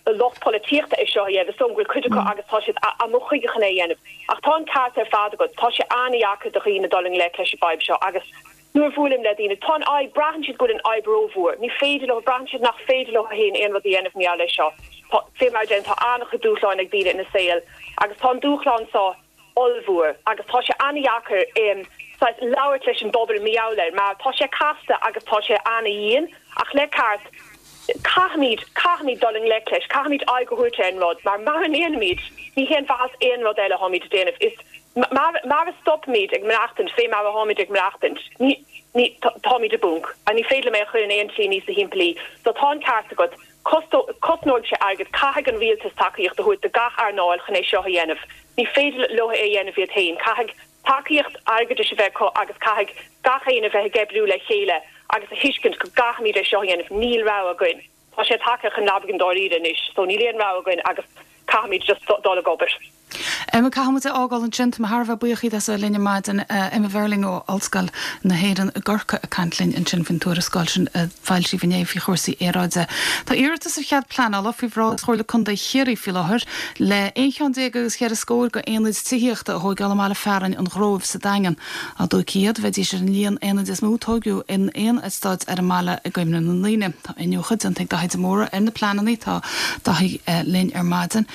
lucht polaitíochta é seo a dhéanamh, is dóigh liom go bhfuil cuid acu agus tá siad amuigh chuige chun é a dhéanamh. Ach tá an ceart ar fad agat, tá sé an-dheacair do dhaoine dul i ngleic leis an bhfadhb seo agus Nuair a bhuailim le daoine, tá an fhadhb, braitheann siad go bhfuil an fhadhb rómhór. Ní féidir leo, braitheann siad nach féidir leo féin aon rud a dhéanamh mar gheall air seo. Tá, fé mar a deirim, tá an-chuid dúshláin ag daoine ina saol agus tá an dúshlán seo ollmhór agus tá sé an-dheacair saghas labhairt leis an bpobal mar gheall air mar tá sé casta agus tá sé an-dhian ach le ceart, caithfimid, caithfimid dul i ngleic leis, caithfimid aghaidh a thabhairt ar an rud, mar mara ndéanaimid, ní haon mhaitheas aon rud eile atáimid a déanamh. Is mara stopaimid ag maireachtaint fé mar atáimid ag maireachtaint, ní, ní, táimid i bponc. Ní féidir liom é a chur in aon tslí níosa shimplí. So tá an ceart agat, cosnóidh sé airgead, caithfidh an rialtas tacaíocht a thabhairt do gach earnáil chun é seo a dhéanamh. Ní féidir leo é a dhéanamh iad féin, caithfidh tacaíocht airgeadais a bheith acu agus caithfidh gach éinne a bheith ag oibriú le chéile agus a thuiscint go gcaithfimid é seo a dhéanamh, níl rogha againn. Tá sé tagtha chun leabaidh dáiríre anois so níl aon rogha againn agus caithfimid just dul ag obair. Emma, caithfidh muid é a fhágáil ansin. Tá mé thar a bheith buíoch díot as a bheith linn ar maidin. Emma Verling ó Ollscoil na hÉireann i gCorcaigh ag caint linn ansin faoin tuarascáil sin a foilsíodh inné faoi chúrsaí aeráide. Tá iarratas ar chead pleanála faoi bhráid Chomhairle Contae Chiarraí faoi láthair le aon cheann déag agus cheithre scór de aonaid tithíochta a thóigeáil i mbaile fearainn an Ghróibh sa Daingean. Dá dtógfaí iad, bheidís ar an líon aonaid is mó a tóigeadh in aon eastáit ar an mbaile i gcuimhne na ndaoine. Tá iniúchadh déanta ag Daithí de Mórdha ar na pleananna. Tá Daithí linn ar maidin.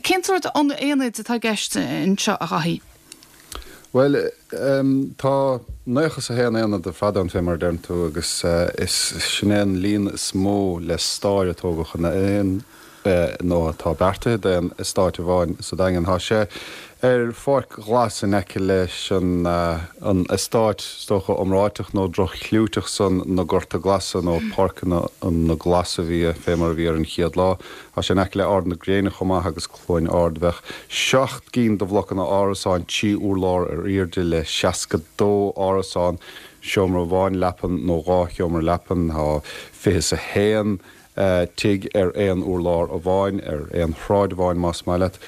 Cén sórt aonaid atá i gceist anseo, a Dhaithí? Bhuel, tá 91 aonad ar fad ann, fé mar a deireann tú, agus is sin é an líon is mó le stair a tógadh in aon nó atá beartaithe d'aon eastát amháin sa Daingean. Tá sé ar pháirc ghlas in aice leis an an eastát, is dócha, iomráiteach nó droch-chlúiteach san, na Gorta Glasa nó Páirceanna na Glas a bhí, fé mar a bhí ar an chéad lá. Tá sé in aice le Ard na Gréine chomh maith agus Cluain Ard. Bheadh 7 gcinn de bhlocanna árasáin, 3 urlár ar airde le 62 árasán, seomra amháin leapan nó dhá sheomra leapan. Tá 21 tigh ar aon urlár amháin, ar aon shráid amháin más maith leat,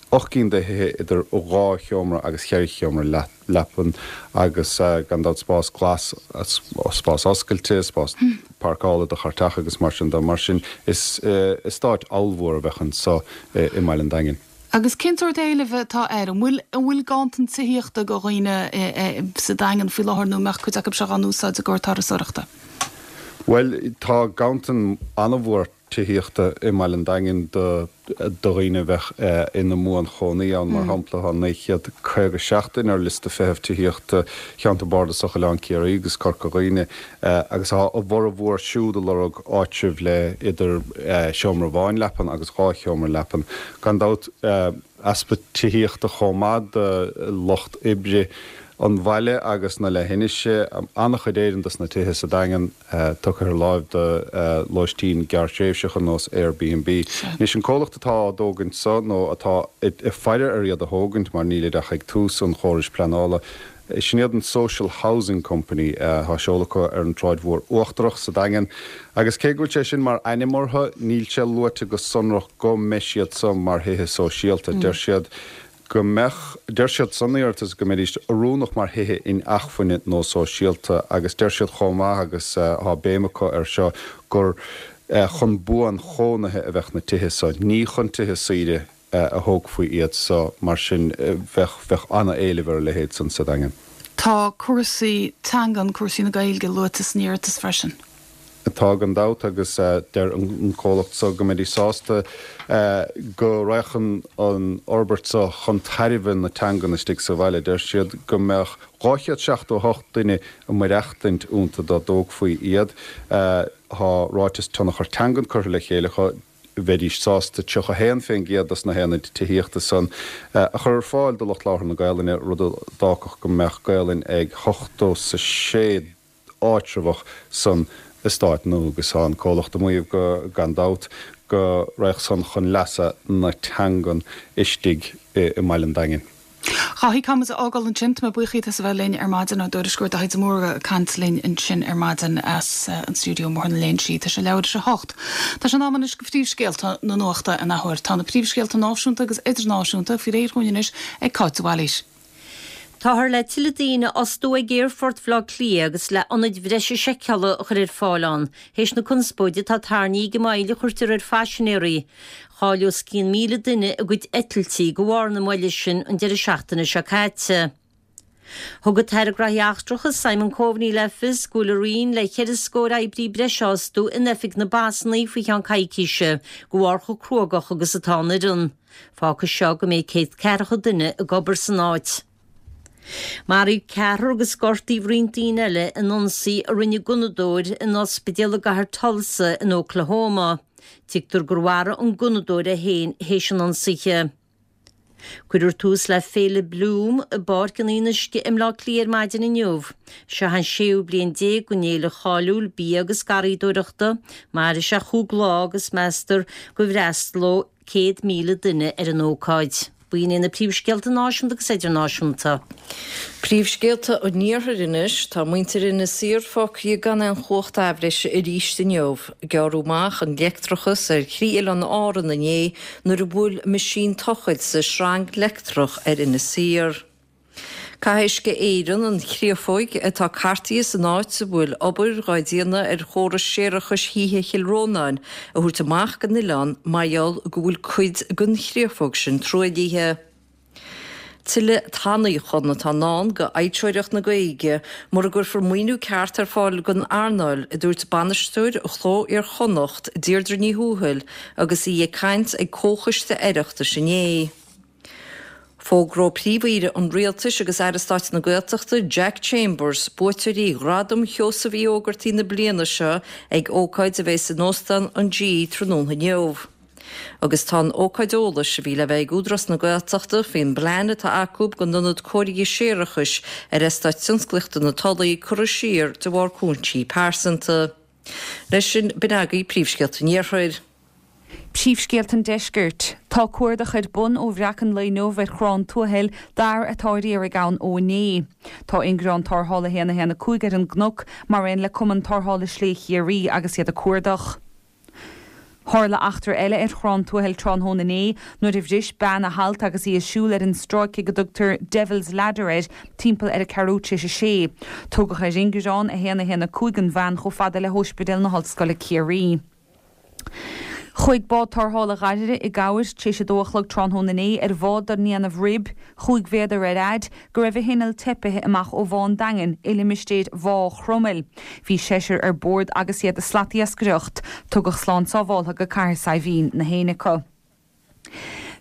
8 gcinn de thithe idir dhá sheomra agus cheithre sheomra leapan agus gan dabht spás glas, spás oscailte, spás páirceála do chairteacha agus mar sin de. Mar sin is eastát ollmhór a bheadh anso i mbaile an Daingin. Agus cén sórt éilimh atá air? An bhfuil an bhfuil ganntan tithíochta do dhaoine sa Daingean faoi láthair nó an mbeadh cuid acu seo á n-úsáid i gcomhair turasóireachta? Bhuel, tá ganntan an-mhór tithíochta i mbaile an Daingin do dhaoine a bheadh ina mbuanchónaí ann. Mar shampla, tá 957 duine ar liosta feithimh tithíochta Cheantar Bardasach Oileán Ciarraí agus Corca Dhuibhne agus tá a bhformhór siúd ag lorg áitribh le idir seomra amháin leapan agus dhá sheomra leapan. Gan dabht, easpa tithíochta chomh maith do lucht oibre an bhaile agus na leithinise. An-chuid Éireann dos na tithe sa Daingean tugtha ar láimh do lóistín gearrthréimhseach ar nós Airbnb. Anois, an comhlacht atá á dtógaint so, nó atá ag faire ar iad a thógaint mar nílid ach ag tús an chórais pleanála, Sin iad an Social Housing Company. Tá seoladh acu ar an tSráid Mhór Uachtarach sa Daingean agus cé go bhfuil sé sin mar ainm orthu, níl sé luaite go sonrach go mbeidh siad so mar thithe sóisialta. Deir siad. Go mbeadh, deir siad san iarratas, go mbeidís oiriúnach mar thithe inacmhainne nó sóisialta agus deir siad chomh maith, agus tá béim acu air seo, gur chun buanchónaithe a bheadh na tithe so, ní chun tithe saoire a thógfaí iad so, mar sin bheadh, bheadh an-éileamh ar a leithéid san sa Daingean. Tá cúrsaí teangan, cúrsaí na Gaeilge luaite san iarratas freisin. Tá gan dabht agus deir an comhlacht so go mbeidís sásta go raghadh an fhorbairt so chun tairbhe na teangan istigh sa bhaile. Deir siad go mbeadh 278 duine ag maireachtaint iontu dá dtógfaí iad. Tá ráiteas tionchar teangan curtha le chéile acu. Bheidís sásta 31% dos na haonaid tithíochta san a chur ar fáil do lucht labhartha na Gaelainne, rud a d'fhágfadh go mbeadh Gaelainn ag 86 áitreabhach san eastát nua agus tá an comhlacht ag maíomh go, gan dabht, go raghadh san chun leasa na teangan istigh i mbaile an Daingin. A Dháithí, caithfidh muid a fhágáil ansin. Tá mé buíoch díot as a bheith linn ar maidin. Ár dtuairisceoir Dáithí de Mórdha ag caint linn ansin ar maidin as an stiúideo i mBóthar na Léinsí. Tá sé leathuair tar éis a hocht. Tá sé in am anois do phríomhscéalta na nuachta an athuair. Tá na príomhscéalta náisiúnta agus idirnáisiúnta faoi réir dhúinn anois ag Cáit de Bhailís. Táthar le tuilleadh daoine a fhostú ag Aerfort Bhaile Átha Cliath agus le ionaid bhreise seiceála a chur ar fáil ann, théis na conspóide atá tarraingthe ag an moill a chuirtear ar phaisinéirí. Chaill os cionn 1,000 duine a gcuid eitiltí de bharr na moille sin an deireadh seachtaine seo caite. Thug an tAire Gnóthaí Eachtracha Simon Coveney le fios go bhfuil a Roinn le ceithre scór oibrí breise a fhostú in oifig na bpasanna faoi cheann coicíse de bharr chomh cruógach agus atá an fhoireann. Fágfaidh seo go mbeidh 140 duine ag obair san áit. Maraíodh ceathrar agus gortaíodh roinnt daoine eile in ionsaí a rinne gunnadóir in ospidéal i gcathair Tulsa in Oklahoma. Tuigtear gur mharaigh an gunnadóir é féin théis an ionsaithe. Cuirfear tús le Féile Bloom i bPáirc an Fhionnuisce i mBleá Cliath ar maidin inniu. Seo an séú bliain den fhéile cháiliúil bia agus garraíodóireachta. Mairfidh sé chúig lá agus meastar go bhfreastalóidh 100,000 duine ar an ócáid. B'in iad na príomhscéalta náisiúnta agus idirnáisiúnta. Príomhscéalta an Iarthair anois. Tá muintir Inis Oírr fágtha gan aon chumhacht athbhreise arís inniu. Gearradh amach an leictreachas ar thrí oileán Árann inné nuair a bhuail meaisín tochailte sreang leictreach ar Inis Oírr. Caithfidh Uisce Éireann an chréafóig atá cartaithe san áit a bhfuil obair dhá déanamh ar chóras séarachais thithe Chill Rónáin a thabhairt amach den oileán mar gheall go bhfuil cuid den chréafóg sin truaillithe. Tuilleadh tanaíochan atá i ndán go fhoilseoireacht na Gaeilge mura gcuirfear maoiniú ceart ar fáil don earnáil, a dúirt bainisteoir Chló Iar-Chonnacht, Deirdre Ní Thuathail agus í ag caint ag Comhchoiste Oireachtais inné. Fógróidh Príomh-Aoire an Rialtais agus Aire Stáit na Gaeltachta, Jack Chambers, buaiteoirí Ghradam Sheosaimh Uí Ógartaigh na bliana seo ag ócáid a bheas in Óstán an G tráthnóna inniu. Agus tá an ócáid eolais a bhí le bheith ag Údarás na Gaeltachta faoin bplean atá acu don ionad cóirithe séarachais ar Eastát Tionsclaíochta na Tulaí curtha siar de bharr cúinsí pearsanta. Leis sin, b'in agaibh príomhscéalta an Iarthair. Príomhscéalta an Deiscirt. Tá cuardach ar bun ó bhreacadh an lae inniu ar Chrann Tuathail d'fhear atá ar iarraidh ann ó inné. Tá Ingearán Tarrthála 1 1 5 ar an gcnoc, mar aon le Cumann Tarrthála Slé Chiarraí agus iad ag cuardach. Tharla eachtra eile ar Chrann Tuathail tráthnóna inné nuair a bhris bean a halt agus í ag siúl ar an stráice go dtugtar Devil's Ladder air timpeall ar a ceathrú tar éis a sé. Tugadh ar ingearán 1 1 5 an bhean chomh fada le hÓispidéal na hOllscoile Ciarraí. Chuaigh bád tarrthála Dhoire i gcabhair tar éis a dó a chlog tráthnóna inné ar bhád den ndéanamh Rib, chúig mhéadar ar fhaid, go raibh a hinneall teipithe amach ó Bhá an Daingin i limistéir Bhá Chromail. Bhí seisear ar bord agus iad ag slatiascaireacht. Tugadh slán sábháltha go Cathair Saidhbhín na héinne acu.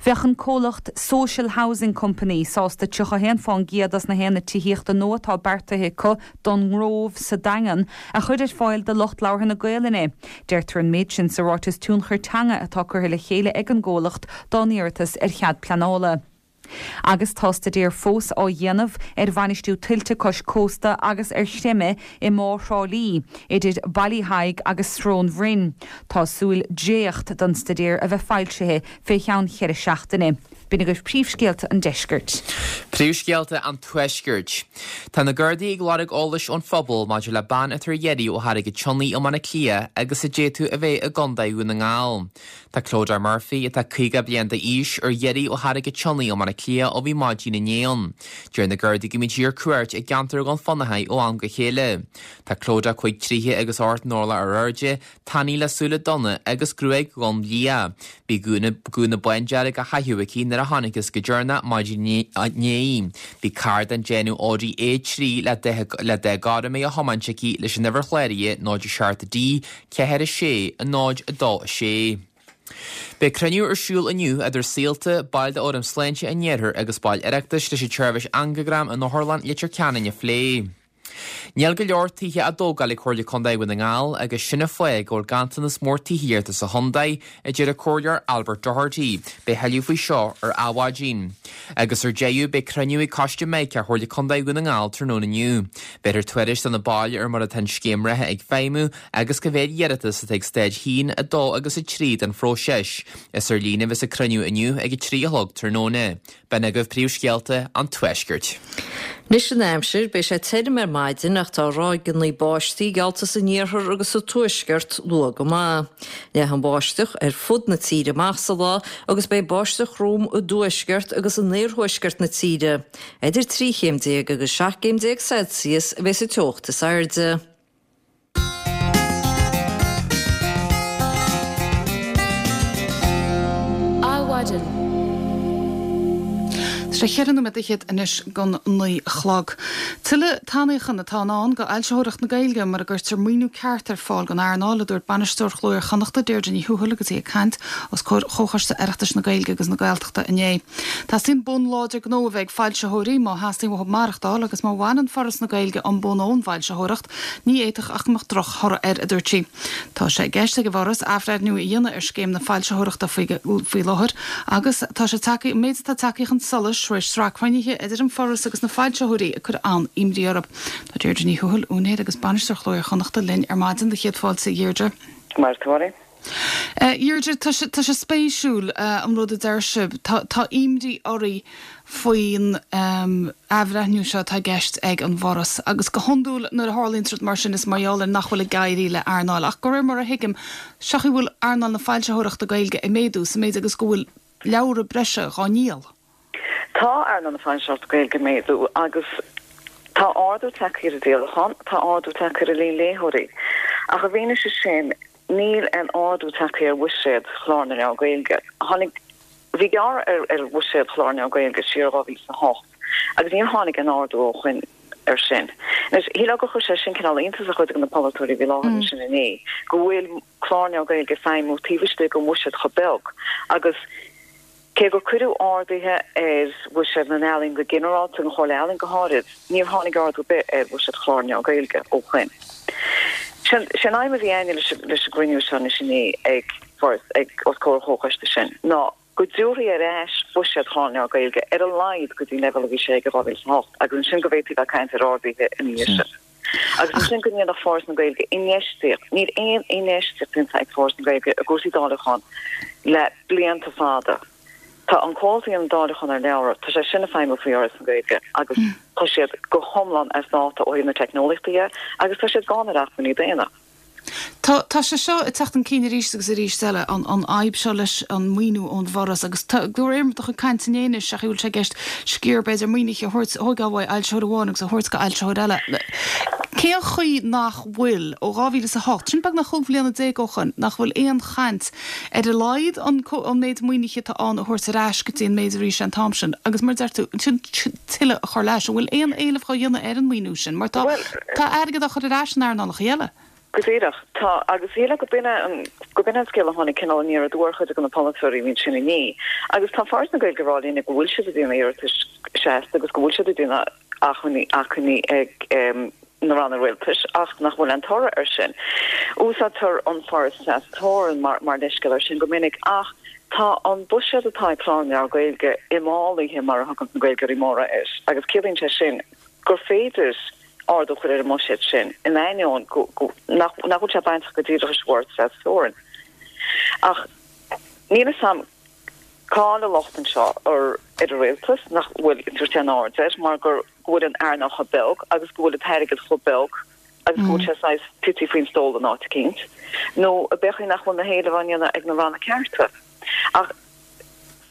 Bheadh an comhlacht Social Housing Company sásta 31 fán gcéad dos na haonaid tithíochta nua atá beartaithe acu don nGrove sa Daingean a chur ar fáil do lucht labhartha na Gaolainne. Deirtear an méid sin sa ráiteas tionchar teanga atá curtha le chéile ag an gcomhlacht dá n-iarratas ar chead pleanála. Agus tá staidéar fós á dhéanamh ar bhainistiú tuilte cois cósta agus ar chreimeadh i mBá Thrá Lí, idir Baile Thaidhg agus Srón Bhroin. Tá súil dréacht den staidéar a bheith foilsithe fé cheann cheithre seachtaine. B'in agaibh príomhscéalta an deiscirt. Príomhscéalta an Tuaiscirt. Tá na Gardaí ag lorg eolais ón phobal maidir le bean atá ar iarraidh ó Charraig an tSionnaigh i mBaile Átha Cliath agus a d'fhéadfadh a bheith i gContae Dhún na nGall. Tá Clodagh Murphy, atá 50 bliain d'aois, ar iarraidh ó Charraig an tSionnaigh i mBaile. mBaile Átha Cliath ó bhí maidin inné ann. Deir na Gardaí go mbíonn sí ar cuairt i gceantar a ghabhann fá na ó am go chéile. Tá Clodagh 5 troithe agus 8 n-orlach ar airde, tanaí le súile donna agus gruaig dhonn liath. Bhí gúna gúna bándearg á chaitheamh aici nuair a chonacthas go deireanach maidin inné. Bhí carr den déanamh Audi A3 le dath le dath gorm á thiomáint aici leis an uimhir chláraithe 0 7 D 4 6 0 2 6. Beidh cruinniú ar siúl inniu idir Saolta, baill d'Fhóram Sláinte an Iarthair agus baill Oireachtais leis an tseirbhís angagram in Otharlann Leitir Ceanainn a phlé. Níl go leor tithe á dtógáil ag Comhairle Contae Dhún na nGall agus sin an fáth go bhfuil ganntanas mór tithíochta sa chontae, a deir an Comhairleoir Albert Doherty. Beidh thuilleadh faoi seo ar Adhmhaidin. Agus ar deireadh, beidh cruinniú ag Coiste Mica Chomhairle Contae Dhún na nGall tráthnóna inniu. Béarfar tuairisc do na baill ar mar atá an scéim reatha ag feidhmiú agus cá mhéad iarratas atá ag staid 1, 2 agus 3 den phróiseas. Is ar líne a bheas an cruinniú inniu ag 3 a chlog tráthnóna. B'in agaibh príomhscéalta an Tuaiscirt. Anois an aimsir, beidh sé tirim ar maidin ach tá ráigeanna báistí geallta san iarthar agus sa tuaisceart luath go maith. Leathfaidh an bháisteach ar fud na tíre amach sa lá agus beidh báisteach throm i dtuaisceart agus in iarthuaisceart na tíre. Idir 13 chéim agus 17 gcéim Celsius a bheidh sa teocht is airde. Adhmhaidin. Tá sé cheithre nóiméad fhichead anois don 9 a chlog. Tuilleadh tanaíochan atá i ndán do fhoilsitheoireacht na Gaeilge mura gcuirtear maoiniú ceart ar fáil don earnáil, a dúirt Bainisteoir Chló Iar-Chonnachta, Deirdre Ní Thuathail agus í ag caint os comhair Chomhchoiste Oireachtais na Gaeilge agus na Gaeltachta inné. Teastaíonn bonn láidir gnó a bheith ag foilsitheoirí má theastaíonn uathu maireachtáil agus má bhaineann Foras na Gaeilge an bonn ón bhfoilsitheoireacht, Ní fhéadfadh ach go mbeadh droch-thoradh air, a dúirt sí. Tá sé i gceist ag an bhForas athbhreithniú a dhéanamh ar scéim na foilsitheoireachta faoi láthair agus tá sé tagtha, an méid atá tagtha chun solais tar éis sraith cruinnithe idir an Foras agus na foilsitheoirí ag cur an-imní orthu. Tá Deirdre Ní Thuathail, úinéir agus bainisteoir Chló Iar-Chonnachta linn ar maidin. Do chéad fáilte, a Dheirdre. Maith thú, a Mháirín. A Dheirdre, tá sé, tá sé spéisiúil an rud a deir sibh. Tá, tá imní oraibh faoin athbhreithniú seo atá i gceist ag an bhForas. Agus go hiondúil nuair a tharlaíonn rud mar sin is mar gheall ar nach bhfuil ag éirí le earnáil. Ach de réir mar a thuigim, seo chaoi bhfuil earnáil na foilsitheoireachta Gaeilge ag méadú sa méid agus go bhfuil leabhra breise dhá ndíol. Tá earnáil na foilsitheoireachta Gaeilge ag méadú agus tá ardú tagtha ar an díolachán, tá ardú tagtha ar an líon léitheoirí. Ach i bhfianaise sin, níl aon ardú tagtha ar bhuiséad Chlár na Leabhar Gaeilge. Tháinig, bhí gearradh ar ar bhuiséad Chlár na Leabhar Gaeilge siar i 2008 agus níor tháinig aon ardú ó shoin air sin. Anois, shílfeá gur chuir sé sin cineál iontas ar chuid de na polaiteoirí a bhí i láthair ansin inné, go bhfuil Clár na Leabhar Gaeilge ag feidhmiú taobh istigh den bhuiséad chomh beag agus Cé gur cuireadh arduithe ar bhuiséad na n-ealaíon go ginearálta, an Chomhairle Ealaíon go háirid, níor tháinig ardú ar bith ar bhuiséad Chlár na Leabhar Gaeilge ó shoin. Sé an aidhm a bhí againne leis an gcruinniú seo anois inné ag Foras, ag os comhair an Chomhchoiste sin, ná go dtabharfaí ar ais buiséad Chlár na Leabhar Gaeilge ar a laghad go dtí an leibhéal a bhí sé ag i 2008 agus ansin go bhféadfaí bheith ag caint ar arduithe ina dhiaidh sin. Agus ansin go ndéanfadh Foras na Gaeilge infheistíocht. Níl aon infheistíocht déanta ag Foras na Gaeilge i gcúrsaí dáileacháin le blianta fada. Tá an comhlacht a dhéanann dáileachán ar leabhra, tá sé sin ag feidhmiú faoi Fhoras na Gaeilge agus tá siad go hiomlán as dáta ó thaobh na teicneolaíochta dhe agus tá siad gann ar acmhainní daonna. Tá, tá sé seo ag teacht chun cinn arís agus arís eile, an, an fhadhb seo leis an maoiniú ón bhForas agus tá, de réir do chuid cainte inné anois, sé chaoi a bhfuil sé i gceist sciar b'fhéidir maoinithe a thabhairt, a thóigeáil uaidh fhoilsitheoir amháin agus a thabhairt go fhoilsitheoir eile. Cén chaoi nach bhfuil, ó 2008, sin beagnach 15 bhliana ó shoin, nach bhfuil aon chaint ar a laghad an, an méid maoinithe atá ann a thabhairt ar ais go dtí an méid a bhí sé an t-am sin agus mar a deir tú, ansin tuilleadh a chur leis. An bhfuil aon éileamh dhá dhéanamh ar an maoiniú sin? Mar tá, tá airgead á chur ar ais in earnálacha eile. Go díreach. Tá, agus shílfeá go b'in é an, go b'in é an scéal a tháinig cineál aniar aduaidh ar chuid de na polaiteoirí a bhí ansin inné. Agus tá Foras na Gaeilge ag rá linne go bhfuil siad ag déanamh iarratais seasta agus go bhfuil siad ag déanamh achainí, achainí ag na ranna rialtais ach nach bhfuil aon toradh air sin. Úsáidtear an Foras Tras-Teorann mar, mar leithscéal air sin go minic ach tá an buiséad atá ag Clár na Leabhar Gaeilge imfhálaithe mar a thugann na Gaeilgeoirí móra air agus ciallaíonn sé sin gur féidir ardú a chur ar an mbuiséad sin, in ainneoin go, nach, nach bhfuil sé bainteach go díreach leis an bhForas Tras-Teorann. Ach níl a fhios a'm cá bhfuil an locht anseo, ar ar an rialtas nach bhfuil ag tabhairt aon aird air mar gur go bhfuil an earnáil chomh beag agus go bhfuil an t-airgead chomh beag agus go bhfuil sé saghas tite faoin stól in áit eicínt, nó ab é nach bhfuil na héilimh á ndéanamh ag na ranna cearta. Ach.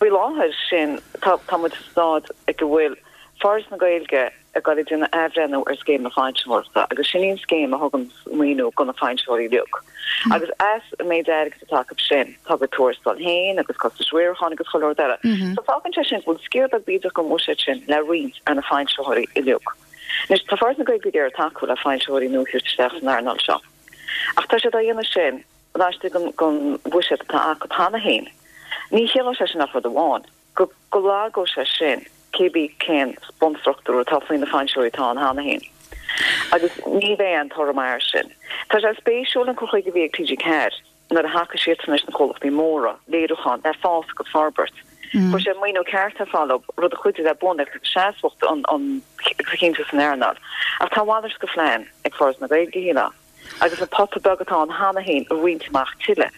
Faoi láthair, sin, tá, tá muid sa staid ag a bhfuil Foras na Gaeilge ag dul ag déanamh athbhreithniú ar Scéim na Foilsitheoireachta agus sin í an scéim a thugann maoiniú do na foilsitheoirí uilig. Agus as an méid airgid atá acu sin, tá a gcuid tuarastail féin agus costais riaracháin agus chuile rud eile. So fágann sé sin go bhfuil sciar beag bídeach den bhuiséad sin le roinnt ar na foilsitheoirí uilig. Anois, tá Foras na Gaeilge ag iarraidh tacú le foilsitheoirí nua a thabhairt isteach san earnáil seo. Ach tá siad á dhéanamh sin laistigh den bhuiséad atá acu cheana féin. Ní chiallóidh sé sin ach rud amháin, go go lagóidh sé sin cébí cén bunstruchtúr atá faoi na foilsitheoirí atá ann cheana féin. Agus ní bheidh aon toradh maith air sin. Tá sé spéisiúil an cur chuige a bhí ag TG4 nuair a thacaigh siadsan leis na comhlachtaí móra léiriúcháin le fás agus forbairt. Chuir siad maoiniú ceart ar fáil dóibh, rud a chuidigh le buanaíocht agus seasmhacht an a chinntiú san earnáil. Ach tá a mhalairt de phlean ag Foras na Gaeilge, shílfeá, agus an pota beag atá ann cheana féin a roinnt amach tuilleadh.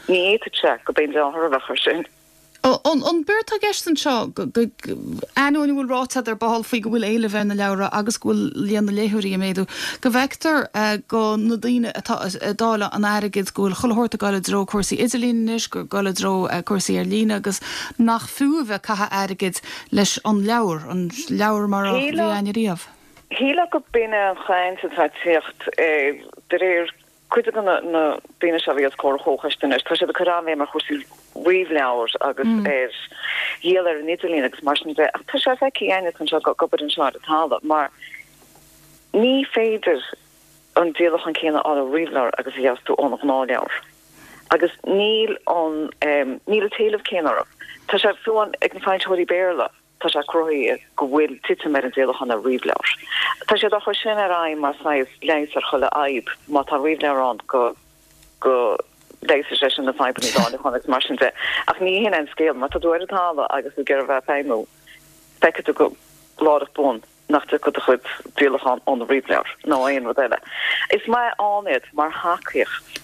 Ní fhéadfadh sé gurb é an dea-thoradh a bheadh air sin. An b'éard atá i gceist anseo, ainneoin a bhfuil ráite agat ar ball faoi go bhfuil éileamh ar na leabhra agus go bhfuil líon na léitheoirí ag méadú, go bhfeictear go na daoine atá ag dáileadh an airgid, go bhfuil chuile shórt ag dul i dtreo cúrsaí idirlín anois, gur ag dul i dtreo cúrsaí ar líne agus nach fiú a bheith ag caitheamh airgid leis an leabhar, an leabhar mar a bhí againne riamh. Shílfeá go b'in é an chaint atá ag tíocht de réir Cuid de na daoine seo a bhí os comhair an chomhchoiste anois, tá siad ag cur an-bhéim ar chúrsaí ríomhleabhar agus ar dhíol ar an idirlíon agus mar sin de, ach tá sé feicthe againne anseo ag obair anseo ar an talamh mar ní féidir an díolachán céanna a fháil ó ríomhleabhar agus a gheobhas tú ón ghnáthleabhar agus níl an níl an t-éileamh céanna orthu. Tá sé fiú amháin ag na foilsitheoirí Béarla. Tá sé cruthaithe go bhfuil titim ar an díolachán ar ríomhleabhair. Tá siad á chur sin ar aghaidh mar saghas leigheas ar chuile fhadhb. Má tá ríomhleabhar ann go go leigheasfaidh sé sin na fadhbanna dáileacháin agus mar sin de. Ach ní hin é an scéal. Má tá tú ar an talamh agus tú ag iarraidh a bheith ag feidhmiú, feicfidh tú go láithreach bonn nach dtiocfaidh do chuid díolachán ó na ríomhleabhair nó aon rud eile. Is maith ann iad mar thacaíocht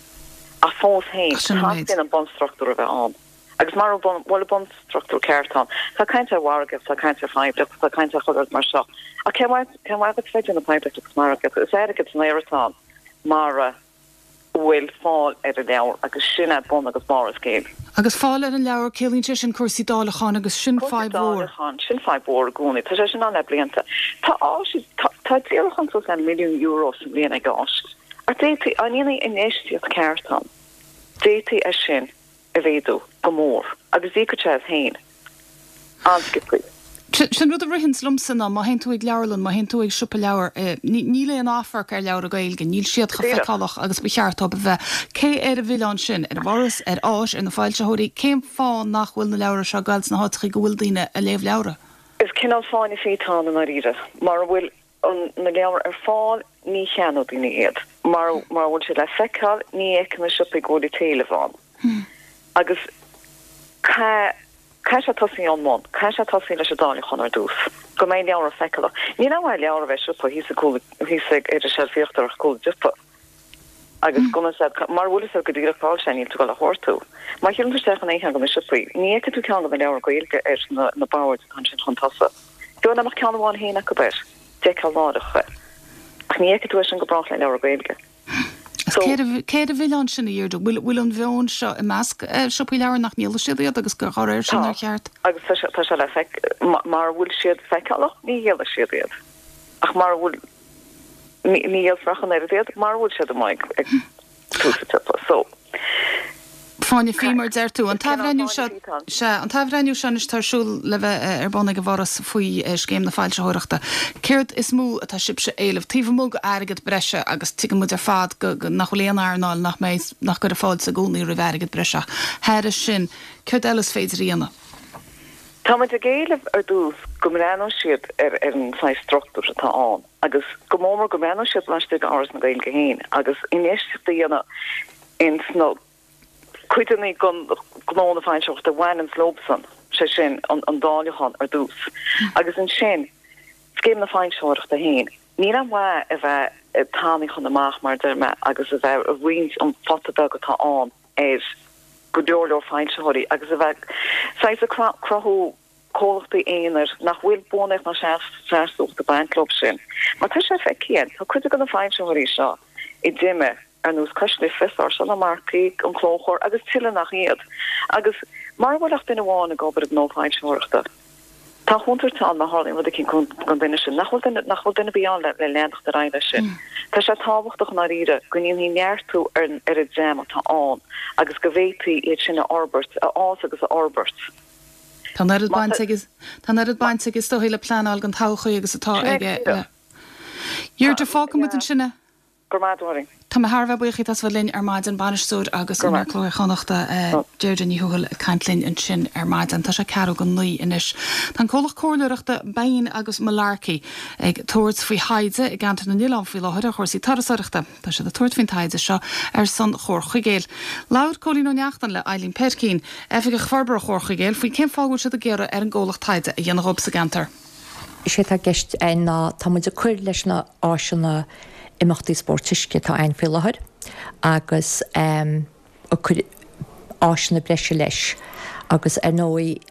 ach fós féin, teastaíonn an bunstruchtúr a bheith ann. Agus mara bhfuil an bunstruchtúr ceart ann, tá caint ar mhargaíocht, tá caint ar phoiblíocht, tá caint ar chuile rud mar seo. Ach cén mhaith, cén mhaith duit bheith ag déanamh poiblíocht agus margaíocht? Is airgead san aer atá ann mara bhfuil fáil ar an leabhar agus sin é bun agus barr an scéil. Agus fáil ar an leabhar, ciallaíonn sé sin cúrsaí dáileacháin agus sin fadhb mhór. Cúrsaí dáileacháin, sin fadhb mhór i gcónaí. Tá sé sin ann le blianta. Tá áis, tá, tá díolachán suas le €1,000,000 sa mbliain ag áis. Ach d'fhéadfaí, dá ndéanfaí infheistíocht ceart ann, d'fhéadfaí é sin a mhéadú go mór agus d'íocfadh sé as féin an-sciobthaí. Sin rud a ritheanns liomsa ná má théann tú ag leabharlann, má théann tú ag siopa leabhar, níl aon amharc ar leabhra Gaeilge, níl siad chomh feiceálach agus ba cheart dóibh a bheith. Cé air an mhilleán sin? Ar an bhForas? Ar Áis? Ar na foilsitheoirí? Cén fáth nach bhfuil na leabhra seo ag goil sna háiteachaí go bhfuil daoine ag léamh leabhra? Is cineál fáinne fí atá ann i ndáiríre. Mara bhfuil na leabhair ar fáil, ní cheannóidh daoine iad. Mara bhfuil siad le feiceáil, ní fheiceann na siopaí go bhfuil an t-éileamh ann. Agus caithfidh sé tosaí ón mbun, caithfidh sé tosaí leis an dáileachán ar dtús, go mbeidh leabhra feiceálach. Níl aon mhaith leabhar a bheith i siopa thíos ag cúl, thíos ag ar an seilf íochtarach ag cúl an tsiopa. Agus go mara bhfuil fhios agat go díreach cá bhfuil sé, níl tú ag dul a chuartú. Má shiúlann tú isteach in aon cheann de na siopaí, ní fheicfidh tú ceann de na leabhair Gaeilge ar na boird atá ansin chun tosaigh. Fiú dá mbeadh ceann amháin féin acu air, d'fheicfeá láithreach é. Ach ní fheicfidh tú é sin go brách le leabhar Gaeilge. So. Cé air an mhilleán sin, a Dheirdre? Bhfuil an mheon seo i measc siopaí leabhar nach ndíolfaidh siad iad agus gur dá réir sin ar cheart? Tá, agus tá sé le feic, mara bhfuil siad feiceálach, ní dhíolfaidh siad iad. Ach mara bhfuil. Ní dhíolfar ach an oiread iad mara bhfuil siad amuigh ag tús an tsiopa. So. Fáinne fí, mar a deir tú. An t-athbhreithniú seo, sea, an t-athbhreithniú seo anois atá ar siúl le bheith ar bun ag an bhForas faoi scéim na foilsitheoireachta. Céard is mó atá sibhse a éileamh, taobh amuigh d'airgead breise agus tuigeann muid ar fad go, nach bhfuil aon earnáil nach mbeidh, nach gcuirfidh fáilte i gcónaí roimh airgead breise ach thairis sin, céard eile is féidir a dhéanamh? Tá muid ag éileamh ar dtús go mbreathnóidh siad ar an saghas struchtúr atá ann agus go mór mór go mbreathnóidh siad laistigh d'Fhoras na Gaeilge féin agus infheistíocht a dhéanamh ins na cuideanna den ghnó na foilsitheoireachta a bhaineanns leobsan, sé sin an dáileachán ar dtús agus ansin scéim na foilsitheoireachta féin. Níl aon mhaith a bheith ag tanaí chun amach, mar a deir mé, agus a bheith ag roinnt an phota beag atá ann. ar go leor leor foilsitheoirí agus a bheith saghas ag cruthú comhlachtaí aonair nach bhfuil buanaíocht ná seasmhacht ag baint leo sin. Mar tá sé feicthe againn, tá cuid de na foilsitheoirí seo a d'imigh ar nós Cois Life, Sáirséal Ó Marcaigh, An Clóchomhar agus tuilleadh nach iad. Agus. Mara bhfuil ach duine amháin ag obair i ngnó foilsitheoireachta, tá contúirt ann má tharlaíonn rud eicínt don duine sin, nach bhfuil duine, nach bhfuil duine ar bith ann le leanacht ar aghaidh leis sin. Tá sé tábhachtach i ndáiríre go ndéanfaí neartú ar an ar an dream atá ann agus go bhféadfaí iad sin a fhorbairt, a fhás agus a fhorbairt. Tá an oiread baint aige, tá an oiread baint aige is dóichí le pleanáil don todhchaí agus atá aige le. Deirdre, fágfaidh muid ansin é. Go raibh maith agat, a Mháirín. Tá mé thar a bheith buíoch díot as bheith linn ar maidin, bainisteoir agus úinéir Cló Iar-Chonnachta, Deirdre Ní Thuathail ag caint linn ansin ar maidin. Tá sé ceathrú go 9 anois. Tá an comhlacht comhairleoireachta Bain agus Malarkey ag tabhairt faoi thaighde i gCeantar na nOileán faoi láthair ar chúrsaí turasóireachta. Tá siad ag tabhairt faoin taighde seo ar son Chomhar Chuigéil. Labhair Cóilín Ó Neachtain le Eileen Peircín, Oifigeach Forbartha Chomhar Chuigéil, faoi cén fáth a bhfuil siad ag iarraidh ar an gcomhlacht taighde a dhéanamh dhóibh sa gceantar. Is é atá i gceist againn ná tá muid ag cur leis na áiseanna imeachtaí spóirt uisce atá againn faoi láthair agus ag cur áiseanna breise leis agus ar ndóigh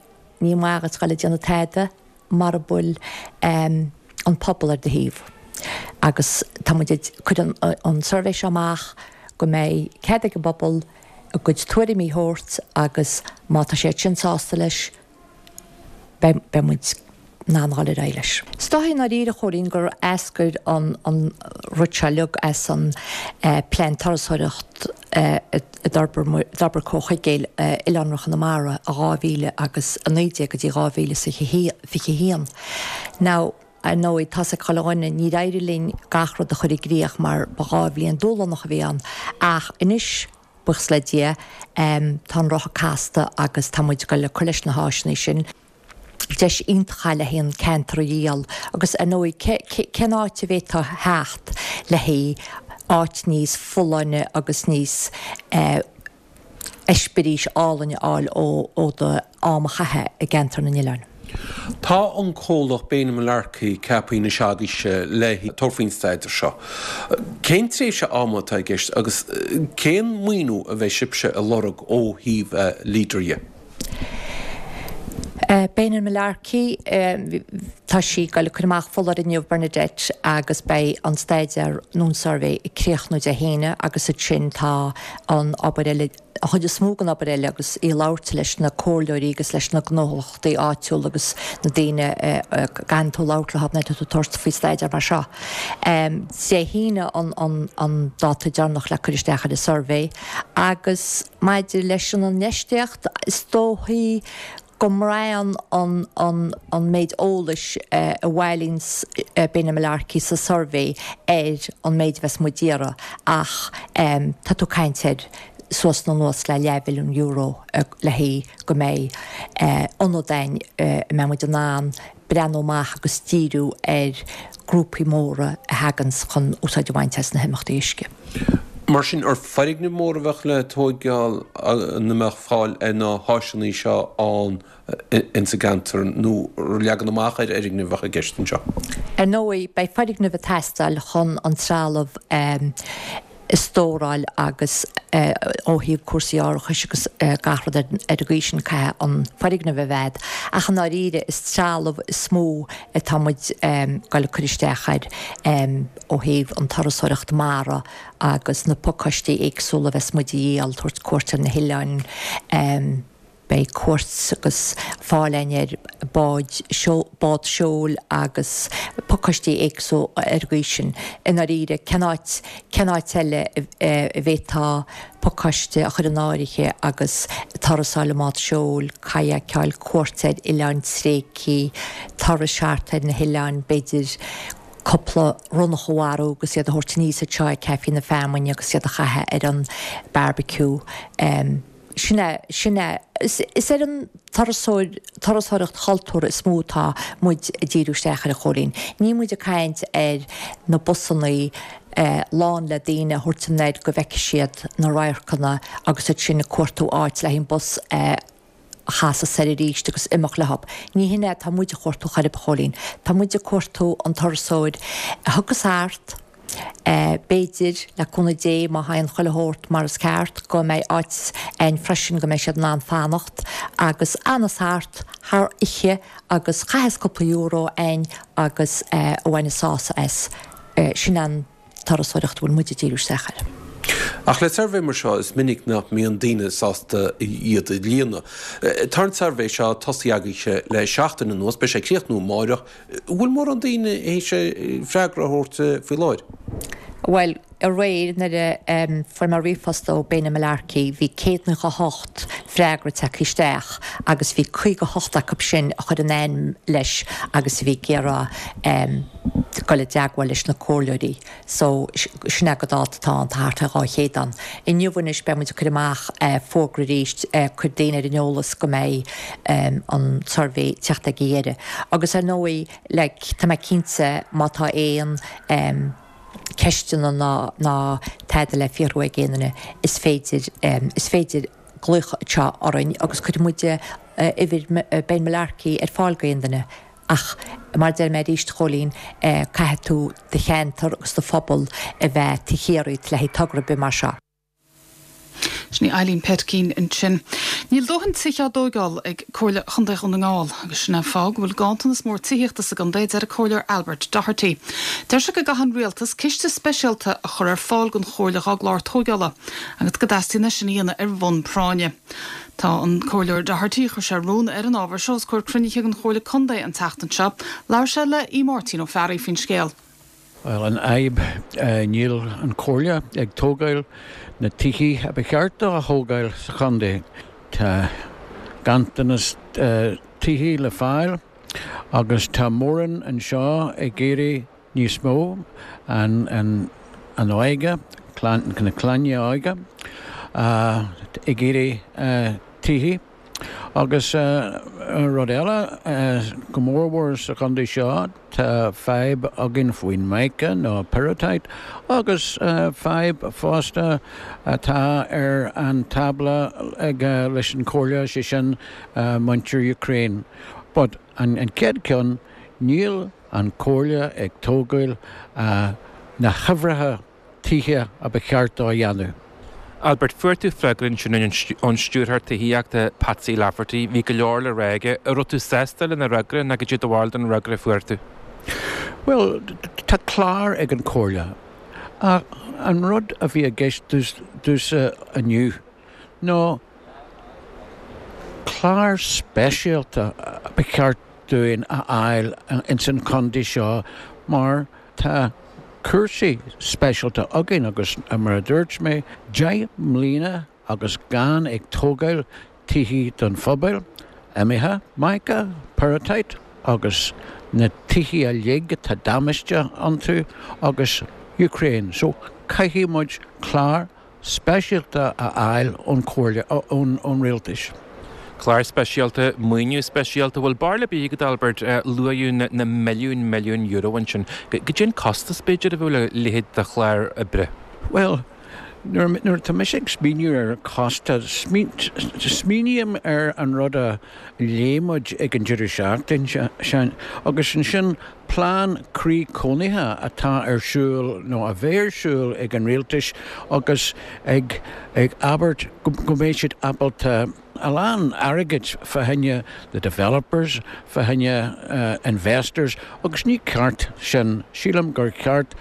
ní maith dhuit dul ag déanamh tada mara bhfuil an pobal ar do thaobh agus tá muid ag cur an suirbhé seo amach go mbeidh cead ag an bpobal a gcuid tuairimí a thabhairt agus má tá siad sin sásta leis beidh muid in ann dhul ar aghaidh leis. Is dóichí i ndáiríre, a Chóilín, gur eascair an rud seo uilig as an plean turasóireacht a d'fhorbair Comhar Chuigéil, Oileánra Chonamara, i 2019 go dtí 2021. Now, ar ndóigh, tá's ag chuile dhuine, níor éirigh linn gach rud a chur i gcríoch mar ba 2 bhliain dúshlánach a bhí ann ach anois, Buíochas le Dia, tá an roth casta agus tá muid ag goil ag cur leis na háiseanna sin. Deis iontach é le haghaidh an ceantar a dhíol agus ar ndóigh cén áit a bhféadfá theacht le haghaidh áit níos folláine agus níos eispéiris álainn a fháil ó do am a chaitheamh i gceantar na nOileán. Tá an comhlacht Bain Mullarkey ceaptha anois agaibhse le tabhairt faoin staidéar seo. Cén tréimhse ama atá i gceist agus cén maoiniú a bheidh sibhse a lorg ó thaobh Leader dhe? Bain Mullarkey, tá sí ag goil ag cur amach foláireamh inniu Bernadette agus beidh an staidéar nó an suirbhé ag críochnú Dé hAoine agus ansin tá an obair eile an chuid is mó den obair eile agus í ag labhairt leis na comhairleoirí agus leis na gnólachtaí áitiúla agus na daoine a gcaitheann tú labhairt leo nuair atá tú ag tabhairt faoi staidéar mar seo. Dé hAoine an dáta deireanach le cur isteach ar an suirbhé agus maidir leis an infheistíocht is dóichí go mbraitheann an méid eolais a bhailíonns Bain Mullarkey sa suirbhé ar an méid a bheas muid d'iarraidh ach tá tú ag caint ar suas nó anuas le leathmhilliún euro le haghaidh go mbeidh ionad a'inn a mbeidh muid in ann breathnú amach agus díriú ar grúpaí móra a thaganns chun úsáid a bhaint as na himeachtaí uisce. Mar sin, ar foirgnimh mhóra a bheadh le tóigeáil ina mbeadh fáil ar na háiseanna seo ann ins an gceantar nó leagan amach ar fhoirgnimh a bheadh i gceist anseo? Ar ndóigh, beidh foirgnimh ag teastáil chun an trealamh a stóráil agus ó thaobh cúrsaí árachais agus gach rud ar an gcaoi sin caithfidh an foirgneamh a bheith a'd. Ach i ndáiríre is trealamh is mó atá muid ag goil ag cur isteach air ó thaobh an turasóireacht mara agus na pacáistí éagsúla a bheas muid a dhíol, tabhairt cuairt ar na hoileáin, Beidh cuairt agus fáil a'inn ar báid, bád seoil agus pacáistí éagsúla ar an gcaoi sin. I ndáiríre, cén áit, cén áit eile a bhféadfá pacáiste a chur in áirithe agus turas a fháil i mbád seoil, kayakeáil, cuairt ar oileáin tréigthe, turais thart ar na hoileáin, b'fhéidir cúpla ronnach a mharú agus iad a thabhairt aníos anseo ag Caife na Feamainne agus iad a chaitheamh ar an barbecue. Sin é, sin é. Is ar an turasóir, turasóireacht chultúrtha is mó atá muid ag díriú isteach air, a Chóilín. Níl muid ag caint ar na busannaí lán le daoine a thabhairt anoir go bhfeicfidh siad na radharcanna agus ansin ag cuartú áit le haghaidh an bus a chasadh soir arís agus imeacht leo. Ní hin é atá muid a chuartú chor ar bith, a Chóilín. Tá muid ag cuartú an turasóir a thiocfas thart, B'fhéidir, le cúnamh Dé, má théann chuile shórt mar is ceart, go mbeidh áit a'inn freisin go mbeidh siad in ann fanacht agus a fhanas thart thar oíche agus chaitheas cúpla euro a'inn agus a bhaineas sásamh as. Sin an turasóireacht a bhfuil muid ag díriú isteach air. Ach le suirbhé mar seo is minic nach mbíonn daoine sásta iad a líonadh. Tá an suirbhé seo tosaithe agaibhse le seachtain anuas, beidh sé ag críochnú amáireach. An bhfuil mórán daoine théis freagra a thabhairt faoi láthair? Bhuel, aréir nuair a fuair mé ríomhphost ó Bena Mullarkey bhí 198 freagra tagtha isteach agus bhí 58 acu sin a chuir a n-ainm leis agus a bhí ag iarraidh dul i dteagmháil leis na comhairleoirí. So, sin é go dáta atá ann, tá thart ar 200 ann. Inniu anois beidh muid ag cur amach fógra arís, cur daoine ar an eolas go mbeidh an suirbhé ag teacht ag a dheireadh. Agus ar ndóigh, like, tá mé cinnte má tá aon ceisteanna ná ná tada le fiafraí ag aon duine, is féidir, is féidir glaoch anseo orainn agus cuirfidh muid uimhir Ben Mullarkey ar fáil go aon duine. Ach, mar a deir mé arís, a Chóilín, caithfidh tú do cheantar agus do phobal a bheith taobh thiar díot le haghaidh togra ar bith mar seo. Sin í Eileen Petkeen ansin. Níl dóthain tithe á dtóigeáil ag Comhairle Chontae Dhún na nGall agus sin é an fáth go bhfuil ganntanas mór tithíochta sa gcontae, a deir an Comhairleoir Albert Doherty. Deir sé go gcaithfidh an Rialtas ciste speisialta a chur ar fáil don Chomhairle dhá gclár tóigeála agus go dteastaíonn é sin a dhéanamh ar bhonn práinne. Tá an Comhairleoir Doherty, chuir sé rún ar an ábhar seo os comhair cruinnithe den Chomhairle Contae an tseachtain seo. Labhair sé le Aodh Máirtín Ó Fearraigh faoin scéal. Bhuel, an fhadhb, níl an Chomhairle ag tógáil na tithe a ba cheart dó a thógáil sa chontae. Tá ganntanas tithe le fáil agus tá mórán anseo ag iarraidh níos mó, an óige, na clainne óga, ag iarraidh tithe. Agus rud eile, go mórmhór sa chontae seo, tá fadhb againn faoin mica nó pyrrhotite agus fadhb fosta atá ar an tábla ag leis an Chomhairle, sé sin muintir Ukraine. But an chéad ceann, níl an Chomhairle ag tógáil na huimhreacha tithe a ba cheart dó a dhéanamh. Albert, fuair tú freagra ansin ón Stiúrthóir Tithíochta, Patsy Lafferty. Bhí go leor le rá aige. An raibh tú sásta lena fhreagra nó cad é do bharúil den fhreagra a fuair tú? Bhuel, tá clár ag an Chomhairle. Ach an rud a bhí i gceist domhsa inniu ná clár speisialta ba cheart dúinn a fháil ins an chontae seo mar tá cúrsaí speisialta againn agus mar a dúirt mé, 10 mbliana agus gan ag tógáil tithe don phobal, imithe, mica, pyrrhotite agus na tithe uilig tá damáiste iontu agus Ukraine so caithfidh muid clár speisialta a fháil ón Chomhairle, ón Rialtais. Clár speisialta, maoiniú speisialta, bhfuil barúil ar bith agat Albert, luaíodh na milliúin milliúin euro ansin. Cad é an costas b'fhéidir a bheadh le leithéid de chlár oibre? Bhuel, nuair atá mise ag smaoineamh ar costas, smaoiním ar an rud a léigh muid ag an deireadh seachtaine sin agus ansin Plean Croí Cónaithe atá ar siúl nó a bheidh ar siúl ag an Rialtais agus ag ag abairt go mbeidh siad ábalta a lán airgid fá choinne the developers, fá choinne investors agus ní ceart sin. Sílim gur cheart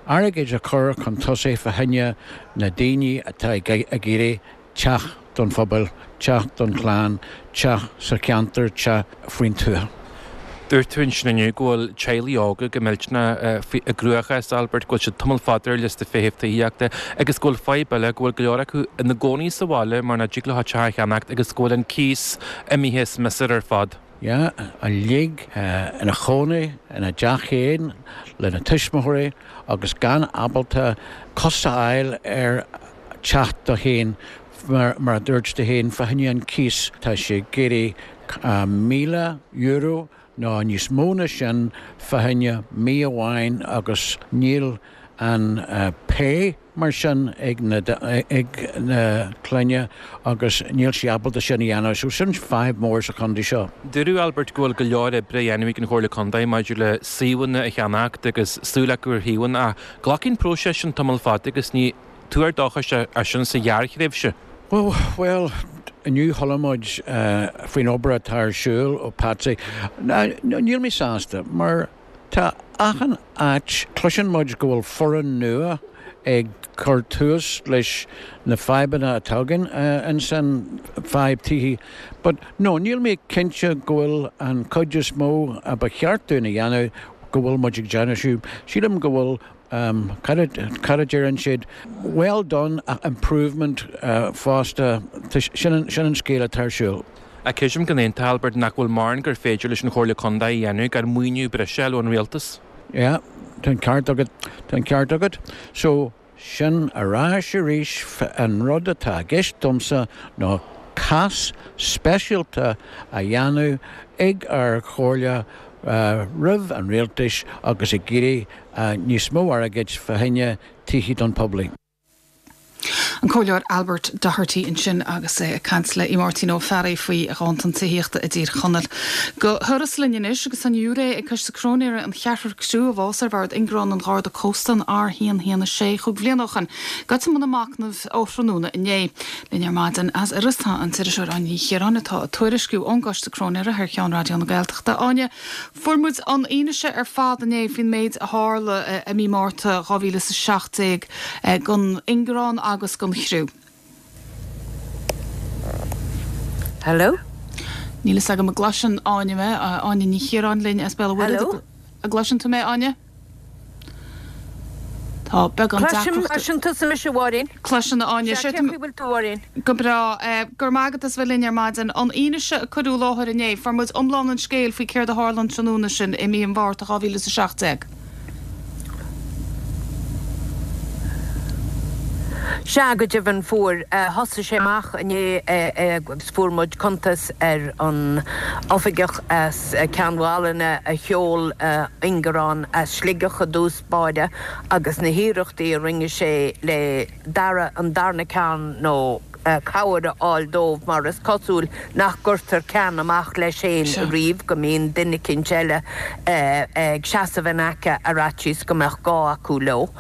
airgead a chur chun tosaigh fá choinne na daoine atá ag iarraidh teach don phobal, teach don chlann, teach sa cheantar, teach faoin tuath. Dúirt tú ansin inniu go bhfuil teaghlaigh óga go millteanach i gcruachás, Albert, go bhfuil siad tamall fada ar liosta feithimh tithíochta agus go bhfuil fadhb eile, go bhfuil go leor acu ina gcónaí sa bhaile mar nach dtig leo teach a cheannacht agus go bhfuil an cíos imithe as miosúr ar fad. Yeah, uilig ina chónaí ina dteach féin lena tuismitheoirí agus gan ábalta cos a fháil ar teach dó féin, mar a dúirt tú féin, fá choinne an cíos, tá sé ag éirí €1,000 nó níos mó ná sin fá choinne mí amháin agus níl an pay mar sin ag na ag na clainne agus níl sí ábalta sin a dhéanamh. So sin fadhb mór sa chontae seo. Dúradh, Albert, go bhfuil go leor oibre á dhéanamh ag an Chomhairle Contae maidir le suíomhanna a cheannacht agus súil acu ar shuíomhanna ach glacfaidh an próiseas sin tamall fada agus ní tuar dóchais é sin sa ghearrthréimhse. Bhuel, inniu chuala muid faoin obair atá ar siúl ó Patsy. Níl mé sásta mar tá achan áit, cloiseann muid go bhfuil foireann nua. ag cur tús leis na fadhbanna atá againn ansan, fadhb tithí. But no, níl mé cinnte go bhfuil an cuid is mó a ba cheart dúinn a dhéanamh, go bhfuil muid ag déanamh sin. Sílim go bhfuil, cad a, cad a deireann siad, well done ach improvement fosta, sin an, sin an scéal atá ar siúl. Ach creidim go n-aontófá, Albert, nach bhfuil mórán gur féidir leis an Chomhairle Contae a dhéanamh gan maoiniú breise a fháil ón Rialtas. Yeah, tá an ceart agat, tá an ceart agat. So, sin ar ais arís, an rud atá i gceist domsa ná cás speisialta a dhéanamh ag ár Chomhairle roimh an Rialtais agus ag iarraidh níos mó airgid fá choinne tithí don pobail. An Comhairleoir Albert Doherty ansin agus é ag caint le Máirtín Ó Fearraigh faoi ghanntan tithíochta i dTír Chonaill. Go hIorras linn anois agus tá an ghiúiré ag Coiste Cróinéara an cheathrar criú a bhás ar bhord Ingearán an Gharda Cósta an R116 chúig bhliana ó shoin. Gaibhte i mbun a machnaimh ó thráthnóna inné. Linn ar maidin as Iorras tá an t-iriseoir Áine Ní Chiaráin atá ag tuairisciú ón gCoiste Cróinéara thar cheann Raidió na Gaeltachta. Áine, Fuair muid an fhianaise ar fad inné faoin méid a tharla i mí Márta 2017 don ingearán agus don chriú. Hello? Níl fhios agam an gcloiseann Áine mé, Áine Ní Chiaráin linn as Béal an Mhuirthead. Hello? An gcloiseann tú mé, Áine? Tá beagán Cloisim, deacrachta. cloiseann tusa mise, a Mháirín. Cloiseann, a Áine. Sea, cén chaoi bhfuil tú, a Mháirín? Go breá. Go raibh maith agat as bheith linn ar maidin. An fhianaise a cuireadh i láthair inné, fuair muid iomlán an scéil faoi céard a tharla an tráthnóna sin i mí an Mhárta 2017. Sea, go deimhin fuair. Thosaigh sé amach inné agus fuair muid cuntas ar an oifigeach as Ceann Mhálanna a sheol ingearán as Sligeach i dtús báire agus na hiarrachtaí a rinne sé le dara, an darna ceann nó cabhair a fháil dóibh mar is cosúil nach gcuirtear ceann amach leis féin riamh, go mbíonn duine eicínt eile ag seasamh in aice ar fhaitíos go mbeadh gá acu leo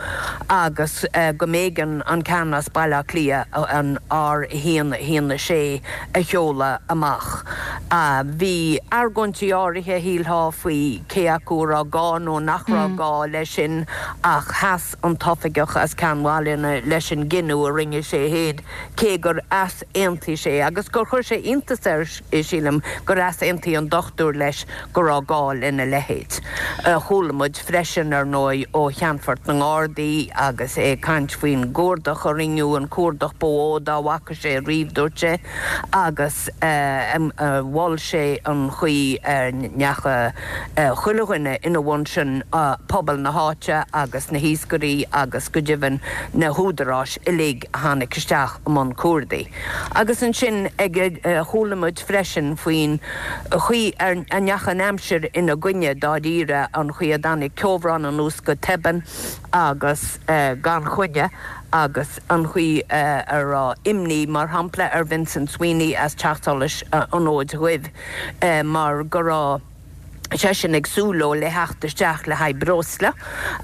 agus go mb'éigean an ceann as Baile Átha Cliath, an R1 1 6, a sheoladh amach. Bhí argóintí áirithe, shílfeá, faoi cé acu a raibh gá nó nach raibh gá leis sin ach sheas an t-oifigeach as Ceann Mhálanna leis an gcinneadh a rinne sé féin, cé gur easaontaigh sé, agus gur chuir sé iontas air, sílim, gur easaontaigh an dochtúir leis go raibh gá lena leithéid. Chuala muid freisin, ar ndóigh, ó Cheannfort na nGardaí agus é ag caint faoin gcuardach a rinneadh, an cuardach ba mhó dá bhfaca sé riamh, dúirt sé, agus mhol sé an chaoi a ndeachaigh chuile dhuine ina bhun sin, pobal na háite agus na hiascairí agus go deimhin na húdaráis uilig a tháinig isteach i mbun cuardaigh. Agus ansin ag chuala muid freisin faoin chaoi a ndeachaigh an aimsir ina gcoinne dáiríre, an chaoi a dtáinig ceobhrán anuas go tobann agus gan choinne agus an chaoi a raibh imní, mar shampla, ar Vincent Sweeney as Teach Solais an Fhóid Dhuibh mar go raibh seisean ag súil leo le theacht isteach le haghaidh breosla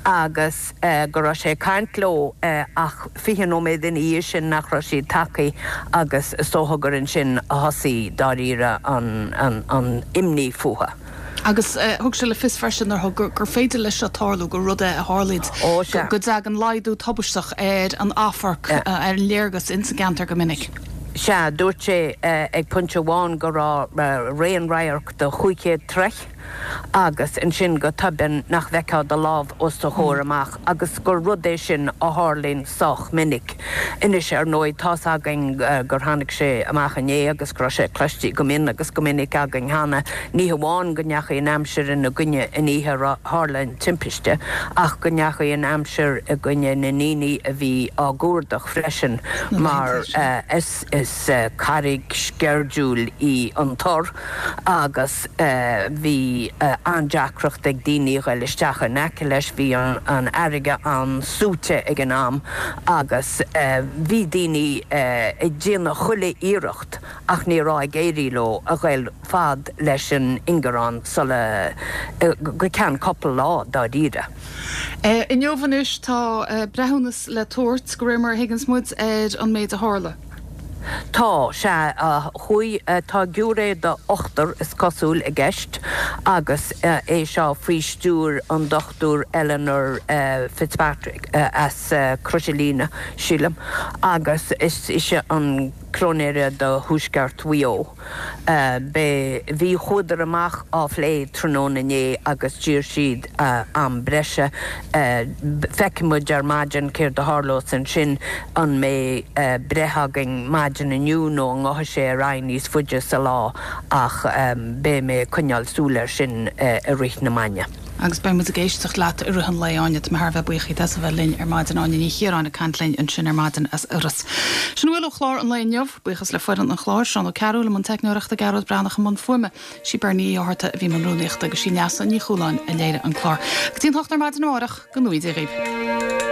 agus go raibh sé ag caint leo ach 20 nóiméad ina dhiaidh sin nach raibh siad tagtha agus is dócha gur ansin a thosaigh dáiríre an imní fúthu. Agus thug sé le fios freisin nuair thug gur féidir leis seo tarlú, gur rud é a tharlaíonn, go dtagann laghdú tubaisteach ar an amharc, ar an léargas ins an gceantar go minic. Sea, dúirt sé ag pointe amháin go raibh raon radhairc de 500 troigh agus ansin go tobann nach bhfeicfeá do lámh os do chomhair amach agus gur rud é sin a tharlaíonn sách minic. Anois, ar ndóigh, tá's againn gur tháinig sé amach inné agus go raibh sé cloiste go mion agus go minic againn cheana, ní hamháin go ndeachaigh an aimsir ina gcoinne an oíche a tharla an timpiste ach go ndeachaigh an aimsir i gcoinne na ndaoine a bhí á gcuardach freisin mar is carraig sceirdiúil í an tor agus bhí an-deacracht ag daoine a ghoil isteach in aice leis, bhí an fharraige an-suaite ag an am agus bhí daoine ag déanamh chuile iarracht ach ní raibh ag éirí leo a ghoil fad leis an ingearán sula, go ceann cúpla lá dáiríre. Inniu anois tá breithiúnas le tabhairt, de réir mar a thuigeanns muid, ar an méid a tharla. Tá, sea, chuaigh, tá giúiré de ochtar, is cosúil, i gceist agus é seo faoi stiúir an Dr Eleanor Fitzpatrick as Crois an Líne, sílim, agus is ise an Cróinéara do Thuaisceart Mhaigh Eo. Beidh, bhí, chuadar amach á phlé tráthnóna inné agus d'iarr siad am breise. Feicfidh muid ar maidin céard a tharlós ansin, an mbeidh breith againn maidin inniu nó an ngabhfaidh sé ar aghaidh níos faide sa lá ach beidh mé ag coinneáil súil air sin i rith na maidne. Agus beidh muid ag éisteacht leat i rith an lae, Áine. Tá mé thar a bheith buíoch díot as a bheith linn ar maidin. Áine Ní Chiaráin ag caint linn ansin ar maidin as Iorras. Sin a bhfuil ó chlár an lae inniu. Buíochas le foireann an chláir, Seán Ó Cearúil i mbun teicneoireachta, Gearóid Breathnach i mbun fuaime, sí Bernie Uí Fhátharta a bhí i mbun rúnaíochta agus sí Neasa Ní Chualáin a léirigh an clár. Go dtí an hocht ar maidin amárach, go ngnóthaí Dia dhaoibh.